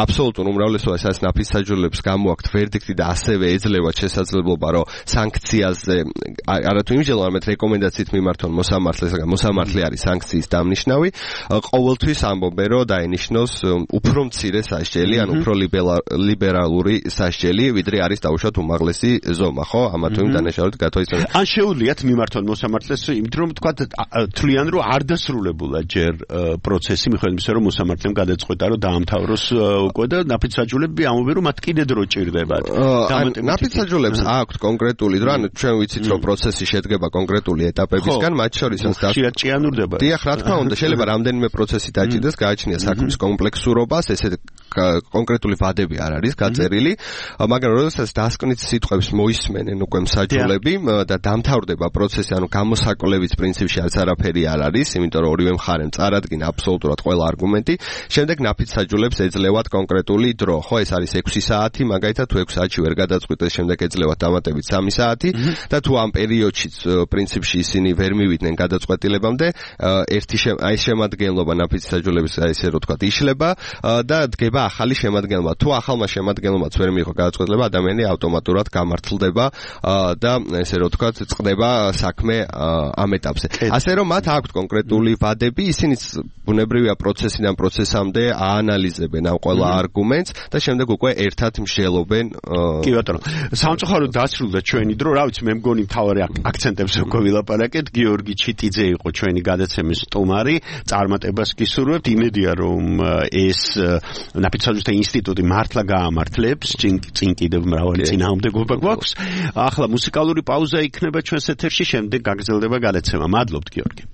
აბსოლუტურ უმრავლესობას ნაფიცმსაჯულებს გამოაქვთ ვერდიქტი და ასევე ეძლევათ შესაძლებლობა, რომ სანქციაზე არათუ იმჟელო, არამედ რეკომენდაციით მიმართონ მოსამართლეს, მოსამართლე არის სანქციის დამნიშნავი, ყოველთვის ამბობენ, რომ დაენიშნოს უფრო მცირე სასჯელი, ან უფრო ლიბერალური სასჯელი, ვიდრე არის დაუშვათ უმაღლესი ზომა, ხო? ამა თუ იმ დანაშაულით გათვალისწინებელია. ან შეუძლიათ მიმართონ მოსამართლეს, იმიტომ რომ თქვა თვლიან, მან რომ არ დასრულებულა ჯერ პროცესი მიხედვით იმისა რომ მოსამართლემ გადაწყვეტა რომ დაამთავროს უკვე და ნაფიცაჯულები ამბობენ რომ მათ კიდე დრო ჭირდებათ. ნაფიცაჯულებს აქვთ კონკრეტული დრო, ანუ ჩვენ ვიცით რომ პროცესი შედგება კონკრეტული ეტაპებისგან, მათ შორისაც ჭიანურდება. დიახ, რა თქმა უნდა, შეიძლება რამდენიმე პროცესი დაჭირდეს, გააჩნია საქმის კომპლექსურობას, ესე კონკრეტული ვადები არ არის გაწერილი, მაგრამ როდესაც დასკვნით სიტყვებს მოისმენენ უკვე მსაჯულები და დამთავრდება პროცესი, ანუ გამოსაკვლევის პრინციპში არც არაფერი არ არის, იმიტომ რომ ორივე მხარემ წარადგინა აბსოლუტურად ყველა არგუმენტი, შემდეგ ნაფიცსაჯულებს ეძლევათ კონკრეტული დრო, ხო, ეს არის 6 საათი, მაგალითად თუ 6 საათში ვერ გადაწყვიტეს, შემდეგ ეძლევათ დამატებით 3 საათი და თუ ამ პერიოდშიც პრინციპში ისინი ვერ მივიდნენ გადაწყვეტილებამდე, აი შემადგენლობა ნაფიცსაჯულების ესე რომ თქვა იშლება და დგება ახალი შემადგენლობა. თუ ახალმა შემადგენლობაც ვერ მიიღო გადაწყვეტილება, ადამიანი ავტომატურად გამართლდება და ესე რომ თქვა წყდება საქმე ამ ეტაპზე. ასე რომ მათ აქვთ კონკრეტული ვადები, ისინი ბუნებრივია პროცესიდან პროცესამდე აანალიზებენ ამ ყველა არგუმენტს და შემდეგ უკვე ერთად მსჯელობენ. კი ბატონო, სამწუხაროდ დასრულდა ჩვენი დრო, რა ვიცი, მე მგონი მთავარი აქცენტებზე უკვე ვილაპარაკეთ. გიორგი ჩიტიძე იყო ჩვენი გადაცემის სტუმარი, წარმატებას გისურვებთ. იმედია რომ ეს ნაფიცაჯულთა ინსტიტუტი მართლა გაამართლებს, წინ კიდევ მრავალი წინააღმდეგობა გვაქვს. ახლა მუსიკალური პაუზა იქნება ჩვენს ეთერში, შემდეგ გაგრძელდება გადაცემა. მადლობთ გიორგი.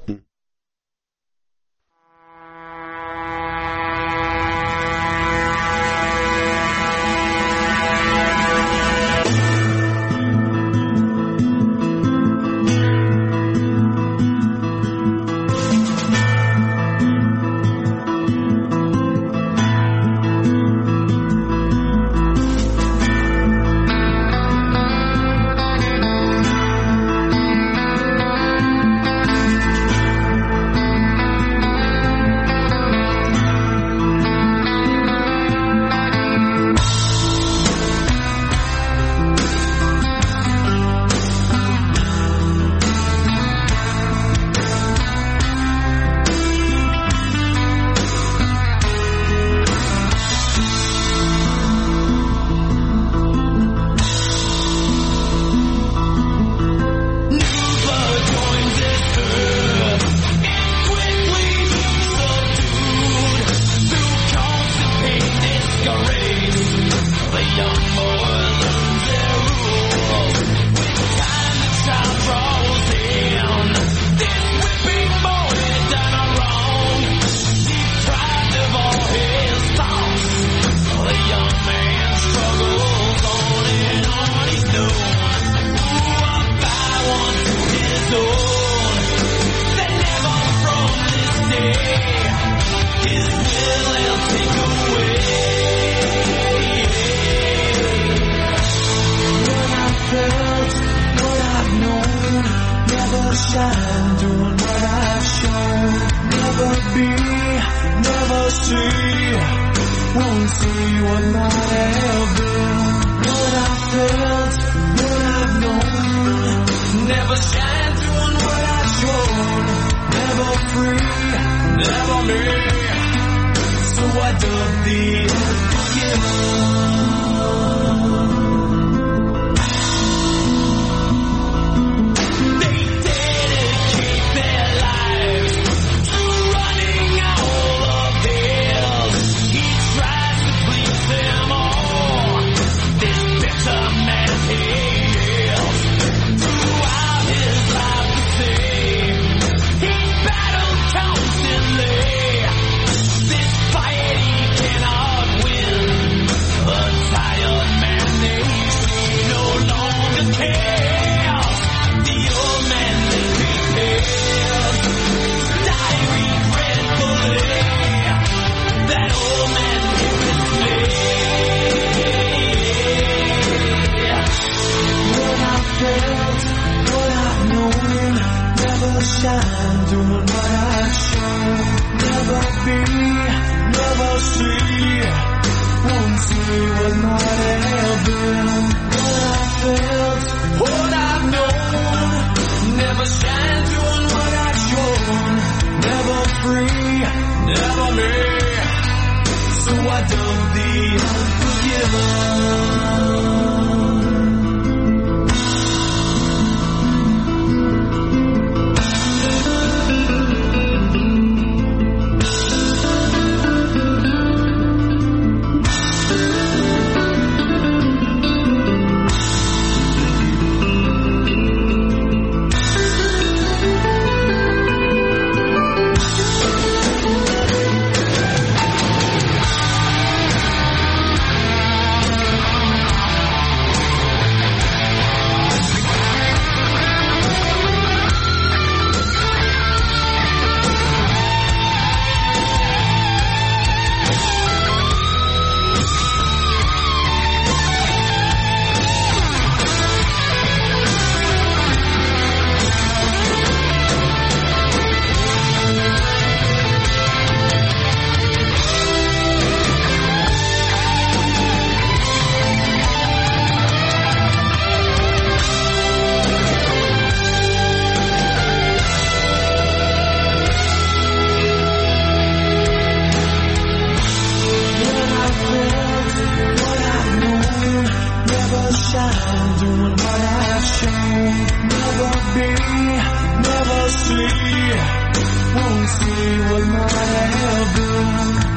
see what might have been.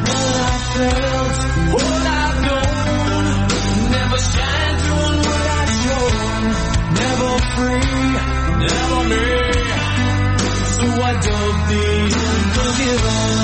What I felt, what I don't, never shine through what I show. Never free, never me. So I dug the unforgiven.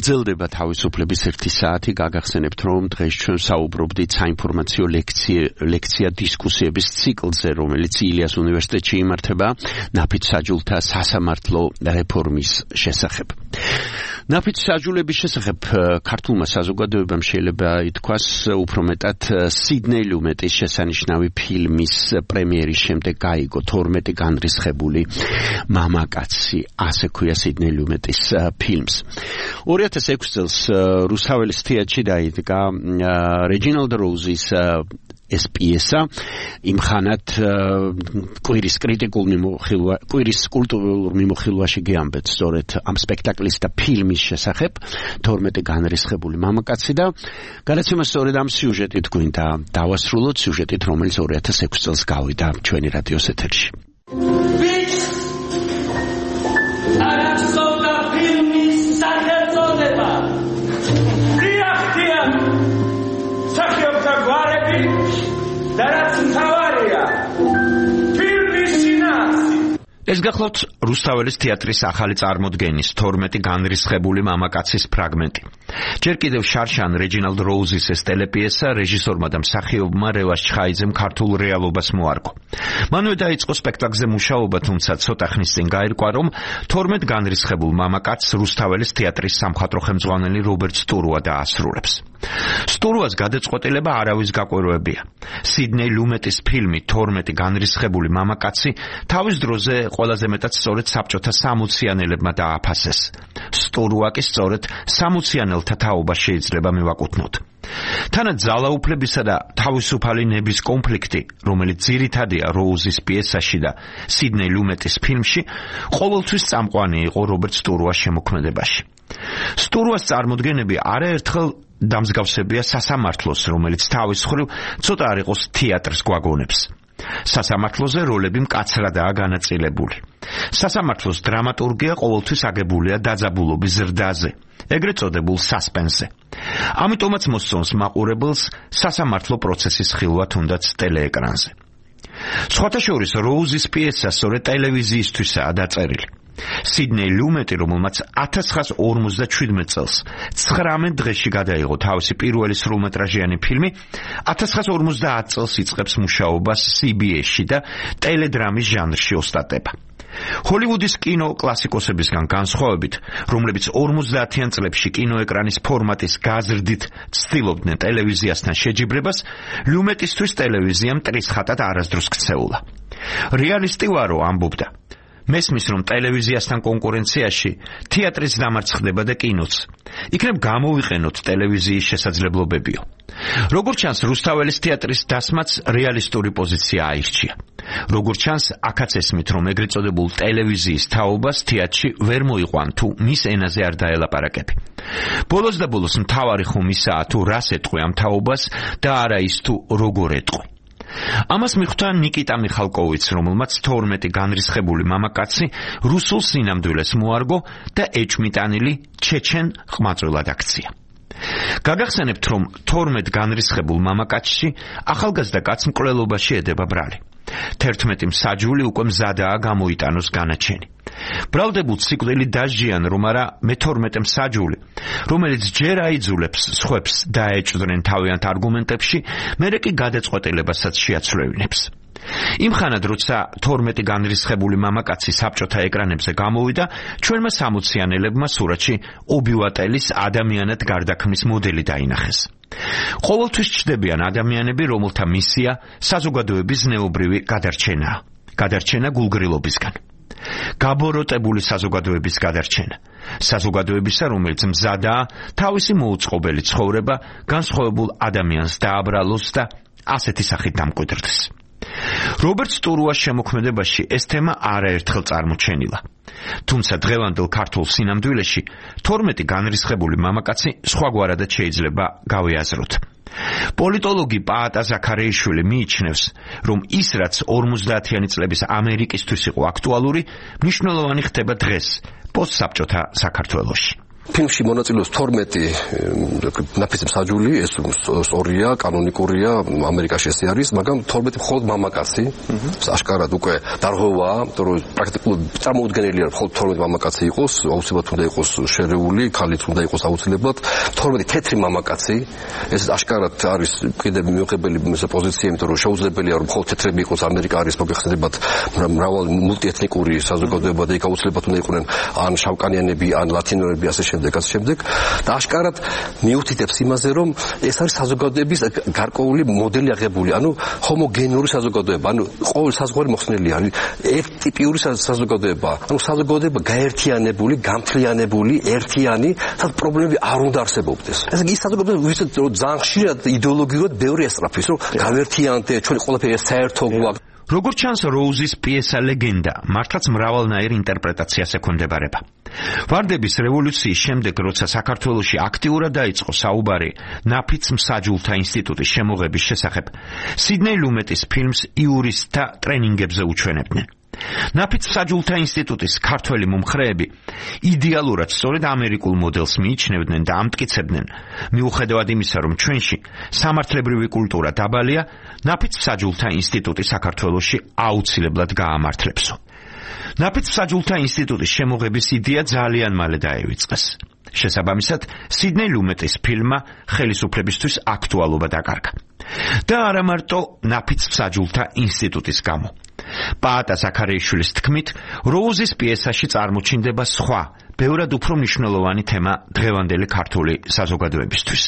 გრძელდება თავისუფლების 1 საათი. გაგახსენებთ, რომ დღეს ჩვენ საუბრობდით საინფორმაციო ლექცია დისკუსიების ციკლზე, რომელიც ილიას უნივერსიტეტში იმართება ნაფიც საჯულთა სასამართლო რეფორმის შესახებ. ნაფიც საჯულების შესახებ ქართულმა საზოგადოებამ შეიძლება ითქვას უფრო მეტად სიდნეი ლუმეტის შესანიშნავი ფილმის პრემიერის შემდეგ გაიგო 12 განრისხებული მამაკაცი, ასე ქვია სიდნეი ლუმეტის ფილმს. 2006 წელს რუსთაველის თეატრში დაიდგა რეჯინალდ როუზის ეს პიესა იმხანად კვირის კულტურულ მიმოხილვაში გეამბეთ სწორედ ამ სპექტაკლის და ფილმის შესახებ 12 განრისხებული მამაკაცი და გადაცემა სწორედ ამ სიუჟეტით გვინდა დავასრულოთ, სიუჟეტით, რომელიც 2006 წელს გავიდა ჩვენი რადიოს ეთერში. ეს გახლავთ რუსთაველის თეატრის ახალი წარმოდგენის 12 განრისხებული მამაკაცის ფრაგმენტი. ჯერ კიდევ შარშან რეჯინალდ როუზის ეს ტელეპიესა რეჟისორმა და მსახიობმა რევას ჩხაიძემ ქართულ რეალობას მოარგო. მანვე დაიწყო სპექტაკლზე მუშაობა, თუმცა ცოტა ხნის წინ გაირკვა, რომ 12 განრისხებულ მამაკაცს რუსთაველის თეატრის სამხატვრო ხელმძღვანელი რობერტ სტურუა დაასრულებს. სტურუას გადაწყვეტილება არავის გაკვირვებია. სიდნეი ლუმეტის ფილმი 12 განრისხებული მამაკაცი თავის დროზე ყველაზე მეტად სწორედ საბჭოთა სამოციანელებმა დააფასეს. სტურუა კი სწორედ სამოციანელთა თაობას შეიძლება მივაკუთვნოთ. თანაც ძალაუფლებისა და თავისუფალი ნების კონფლიქტი, რომელიც ძირითადია როუზის პიესაში და სიდნეი ლუმეტის ფილმში, ყოველთვის წამყვანი იყო რობერტ სტურუას შემოქმედებაში. სტურუას წარმოდგენები არაერთხელ დამსგავსებია სასამართლოს, რომელიც თავის მხრივ ცოტა არ იყოს თეატრს გვაგონებს. სასამართლოზე როლები მკაცრადაა განაწილებული. სასამართლოს დრამატურგია ყოველთვის აგებულია დაძაბულობის ზრდაზე, ეგრეთ წოდებულ სასპენსზე. ამიტომაც მოსწონს მაყურებელს სასამართლო პროცესის ხილვა თუნდაც ტელეეკრანზე. სხვათა შორის როუზის პიესა სწორედ ტელევიზიისთვისაა დაწერილი. სიდნეი ლუმეტი, რომელმაც 1957 წელს 19 დღეში გადაიღო თავისი პირველი სრულმეტრაჟიანი ფილმი, 1950 წელს იწყებს მუშაობას CBS-ში და ტელედრამის ჟანრში ოსტატება. ჰოლივუდის კინო კლასიკოსებისგან განსხვავებით, რომლებიც 50-იან წლებში კინოეკრანის ფორმატის გაზრდით ცდილობდნენ ტელევიზიასთან შეჯიბრებას, ლუმეტისთვის ტელევიზია მტრისხატად არასდროს ქცეულა. რეალისტი ვარო, ამბობდა. მესმის, რომ ტელევიზიასთან კონკურენციაში თეატრის დამარცხდება და კინოც. იქნებ გამოვიყენოთ ტელევიზიის შესაძლებლობებიო. როგორც ჩანს, რუსთაველის თეატრის დასმაც რეალისტური პოზიცია აირჩია. როგორც ჩანს, აქაც ესმით, რომ ეგრეთ წოდებულ ტელევიზიის თაობას თეატრში ვერ მოიყვან თუ მის ენაზე არ დაელაპარაკები. ბოლოს და ბოლოს მთავარი ხომ ისაა, თუ რას ეტყვი ამ თაობას და არა ის თუ როგორ ეტყვი. ამას მიხვდა ნიკიტა მიხალკოვიც, რომელმაც 12 განრისხებული მამაკაცი რუსულ სინამდვილეს მოარგო და ეჭვმიტანილი ჩეჩენ ყმაწვილად აქცია. გაგახსენებთ, რომ 12 განრისხებულ მამაკაცში ახალგაზრდა კაც მკვლელობაში ედება ბრალი. 11 მსაჯული უკვე მზადაა გამოიტანოს განაჩენი. ბრალდებულ ციკლი დასჯიან, რომ არა მე-12 მსაჯული, რომელიც ჯერ აიძულებს სხვებს დაეჭვდნენ თავიანთ არგუმენტებში, მერე კი გადაწყვეტილებასაც შეაცვლევინებს. იმხანად, როცა 12 განრისხებული მამაკაცი საბჭოთა ეკრანებზე გამოვიდა, ჩვენმა სამოციანელებმა სურათში ობივატელის ადამიანად გარდაქმნის მოდელი დაინახეს. ყოველთვის ჩნდებიან ადამიანები, რომელთა მისია საზოგადოების ზნეობრივი გადარჩენაა. გადარჩენა გულგრილობისგან. გაბოროტებული საზოგადოების გადარჩენა. საზოგადოებისა, რომელიც მზადაა თავისი მოუწყობელი ცხოვრება განსხვავებულ ადამიანს დააბრალოს და ასეთი სახით დამკვიდრდეს. რობერტ სტურუას შემოქმედებაში ეს თემა არაერთხელ წარმოჩენილა. თუმცა დღევანდელ ქართულ სინამდვილეში 12 განრისხებული მამაკაცი სხვაგვარადად შეიძლება გავეაზროთ. პოლიტოლოგი პაატა ზაქარეიშვილი მიიჩნევს, რომ ის, რაც 50-იანი წლების ამერიკისთვის იყო აქტუალური, მნიშვნელოვანი ხდება დღეს პოსტსაბჭოთა საქართველოში. ფილმში მონაწილეობს 12 ნაფიც მსაჯული, ეს სწორია, კანონიკურია, ამერიკაში ესე არის, მაგრამ 12 მხოლოდ მამაკაცი, აშკარად უკვე დარღვევაა, იმიტომ რომ პრაქტიკულად წარმოუდგენელია, რომ მხოლოდ 12 მამაკაცი იყოს, აუცილებლად უნდა იყოს შერეული, ქალიც უნდა იყოს აუცილებლად, 12 თეთრი მამაკაცი, ეს აშკარად არის კიდევ მიუღებელი პოზიცია, იმიტომ რომ შეუძლებელია, რომ მხოლოდ თეთრები იყოს, ამერიკა არის მოგეხსენებათ მრავალი მულტიეთნიკური საზოგადოება და იქ აუცილებლად უნდა იყვნენ ან შავკანიანები, ან ლათინოები, ასე შემდეგ და აშკარად მიუთითებს იმაზე, რომ ეს არის საზოგადოების გარკვეული მოდელი აღებული, ანუ ჰომოგენური საზოგადოება, ანუ ყოველ საზღვარი მოხსნილი არის ერთტიპიური საზოგადოება, ანუ საზოგადოება გაერთიანებული, გამთლიანებული, ერთიანი, სადაც პრობლემები არ უნდა არსებობდეს. ესე იგი, ის საზოგადოება, ვისაც ძალიან ხშირად იდეოლოგიურად ბევრი ესწრაფის, რომ გავერთიანდე, ჩვენი ყველაფერი საერთო გვაქვს. როგორც ჩანს, როუზის პიესა ლეგენდა მართლაც მრავალნაირ ინტერპრეტაციას ექვემდებარება. ვარდების რევოლუციის შემდეგ, როცა საქართველოში აქტიურად დაიწყო საუბარი ნაფიც მსაჯულთა ინსტიტუტის შემოღების შესახებ, სიდნეი ლუმეტის ფილმს იურისტთა ტრენინგებზე უჩვენებდნენ. ნაფიც მსაჯულთა ინსტიტუტის ქართველი მომხრეები იდეალურად სწორედ ამერიკულ მოდელს მიიჩნევდნენ და ამტკიცებდნენ, მიუხედავად იმისა, რომ ჩვენში სამართლებრივი კულტურა დაბალია, ნაფიც მსაჯულთა ინსტიტუტი საქართველოში აუცილებლად გაამართლებსო. ნაფიც მსაჯულთა ინსტიტუტის შემოღების იდეა ძალიან მალე დაევიწყეს. შესაბამისად, სიდნეი ლუმეტის ფილმმა ხელისუფლებისთვის აქტუალობა დაკარგა. და არა მარტო ნაფიც მსაჯულთა ინსტიტუტის გამო. პაატა ზაქარეიშვილის თქმით, როუზის პიესაში წარმოჩინდება სხვა, ბევრად უფრო მნიშვნელოვანი თემა დღევანდელი ქართული საზოგადოებისთვის.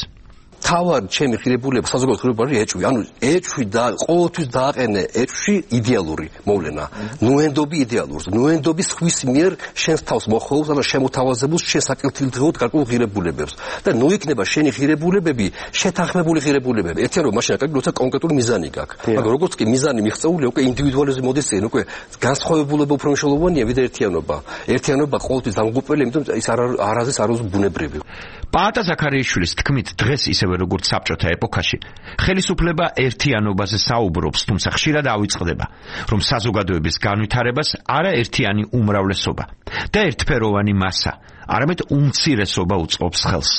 თავად ჩემი ღირებულება საზოგადოებრივი არის ეჭვი. ანუ ეჭვი და ყოველთვის დააყენე ეჭვში იდეალური მოვლენა. ნუენდობი იდეალურს, ნუენდობი ხვის მიერ შენს თავს მოხმობს, ანუ შემოთავაზებულს შენ საკეთილდღეოდ გარკვეულ ღირებულებებს. და ნუ იქნება შენი ღირებულებები შეთანხმებული ღირებულებები. ერთიანობა მაშინ აკეთებს, როცა კონკრეტული მიზანი გაქვს. მაგრამ როგორც კი მიზანი მიღწეულია, უკვე ინდივიდუალიზმი მოდის წინ, უკვე განსხვავებულება უფრო მნიშვნელოვანია ვიდრე ერთიანობა. ერთიანობა ყოველთვის დამღუპველია, იმიტომ ის არაზეს არ არის ბუნებრივი. პაატა ზაქარეიშვილის თქმით, დღეს ისევ როგორც საბჭოთა ეპოქაში, ხელისუფლება ერთიანობაზე საუბრობს, თუმცა ხშირად ავიწყდება, რომ საზოგადოების განვითარებას არა ერთიანი უმრავლესობა და ერთფეროვანი მასა, არამედ უმცირესობა უწყობს ხელს.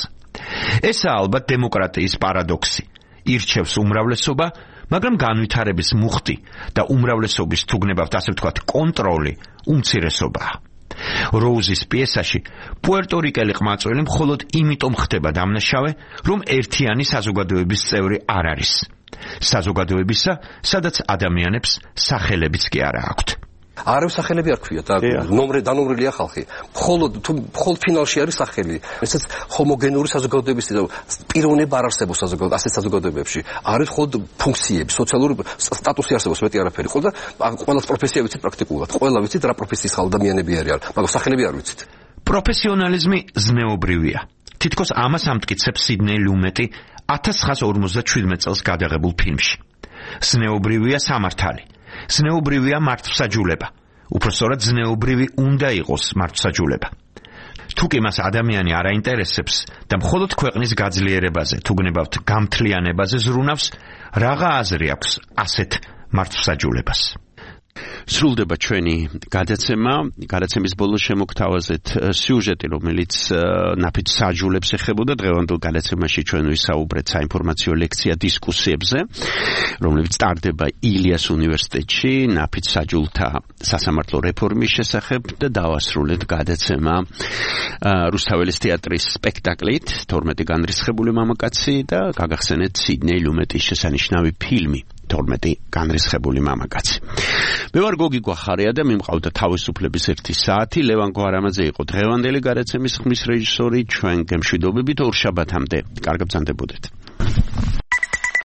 ესაა ალბათ დემოკრატიის პარადოქსი. ირჩევს უმრავლესობა, მაგრამ განვითარების მუხტი და უმრავლესობის თუ გნებავთ ასე ვთქვათ კონტროლი უმცირესობაა. როუზის პიესაში პუერტორიკელი ყმაწველი მხოლოდ იმიტომ ხდება დამნაშავე, რომ ერთიანი საზოგადოების წევრი არ არის. საზოგადოებისა, სადაც ადამიანებს სახელებიც კი არა აქვთ. არავის სახელები არ ქვია და დანომრილია ხალხი. მხოლოდ ფინალში არის სახელი. ესეც ჰომოგენური საზოგადოების პიროვნება არ არსებობს ასეთ საზოგადოებებში. არის მხოლოდ ფუნქციები, სოციალური სტატუსი არსებობს, მეტი არაფერი. ყველა პროფესია ვიცით პრაქტიკულად. ყველა ვიცით რა პროფესიის ადამიანები არიან, მაგრამ სახელები არ ვიცით. პროფესიონალიზმი ზნეობრივია. თითქოს ამას ამტკიცებს სიდნეი ლუმეტი 1957 წელს გადაღებულ ფილმში. ზნეობრივია სამართალი. ზნეობრივია მართლმსაჯულება. უпростоრად ზნეობრივი უნდა იყოს მართლმსაჯულება. თუკი მას ადამიანი არ აინტერესებს და მხოლოდ ქვეყნის გაძლიერებაზე, თუ გნებავთ გამთლიანებაზე ზრუნავს, რაღა აზრი აქვს ასეთ მართლმსაჯულებას. სრულდება ჩვენი გადაცემის ბოლოს შემოგთავაზეთ სიუჟეტი, რომელიც ნაფიც საჯულებს ეხებოდა. დღევანდელ გადაცემაში ჩვენ ვისაუბრეთ საინფორმაციო ლექცია დისკუსიებზე, რომლებიც ტარდება ილიას უნივერსიტეტში ნაფიც საჯულთა სასამართლო რეფორმის შესახებ და დავასრულეთ გადაცემა რუსთაველის თეატრის სპექტაკლით 12 განრისხებული მამაკაცი და გაგახსენეთ სიდნეი ლუმეტის შესანიშნავი ფილმი 12 განრისხებული მამაკაცი. მე ვარ გოგი გვახარია და მიმყავდა თავისუფლების 1 საათი. ლევან გვარამაძე იყო დღევანდელი გადაცემის ხმის რეჟისორი. ჩვენ გემშვიდობებით ორ შაბათამდე. კარგად ბრძანდებოდეთ.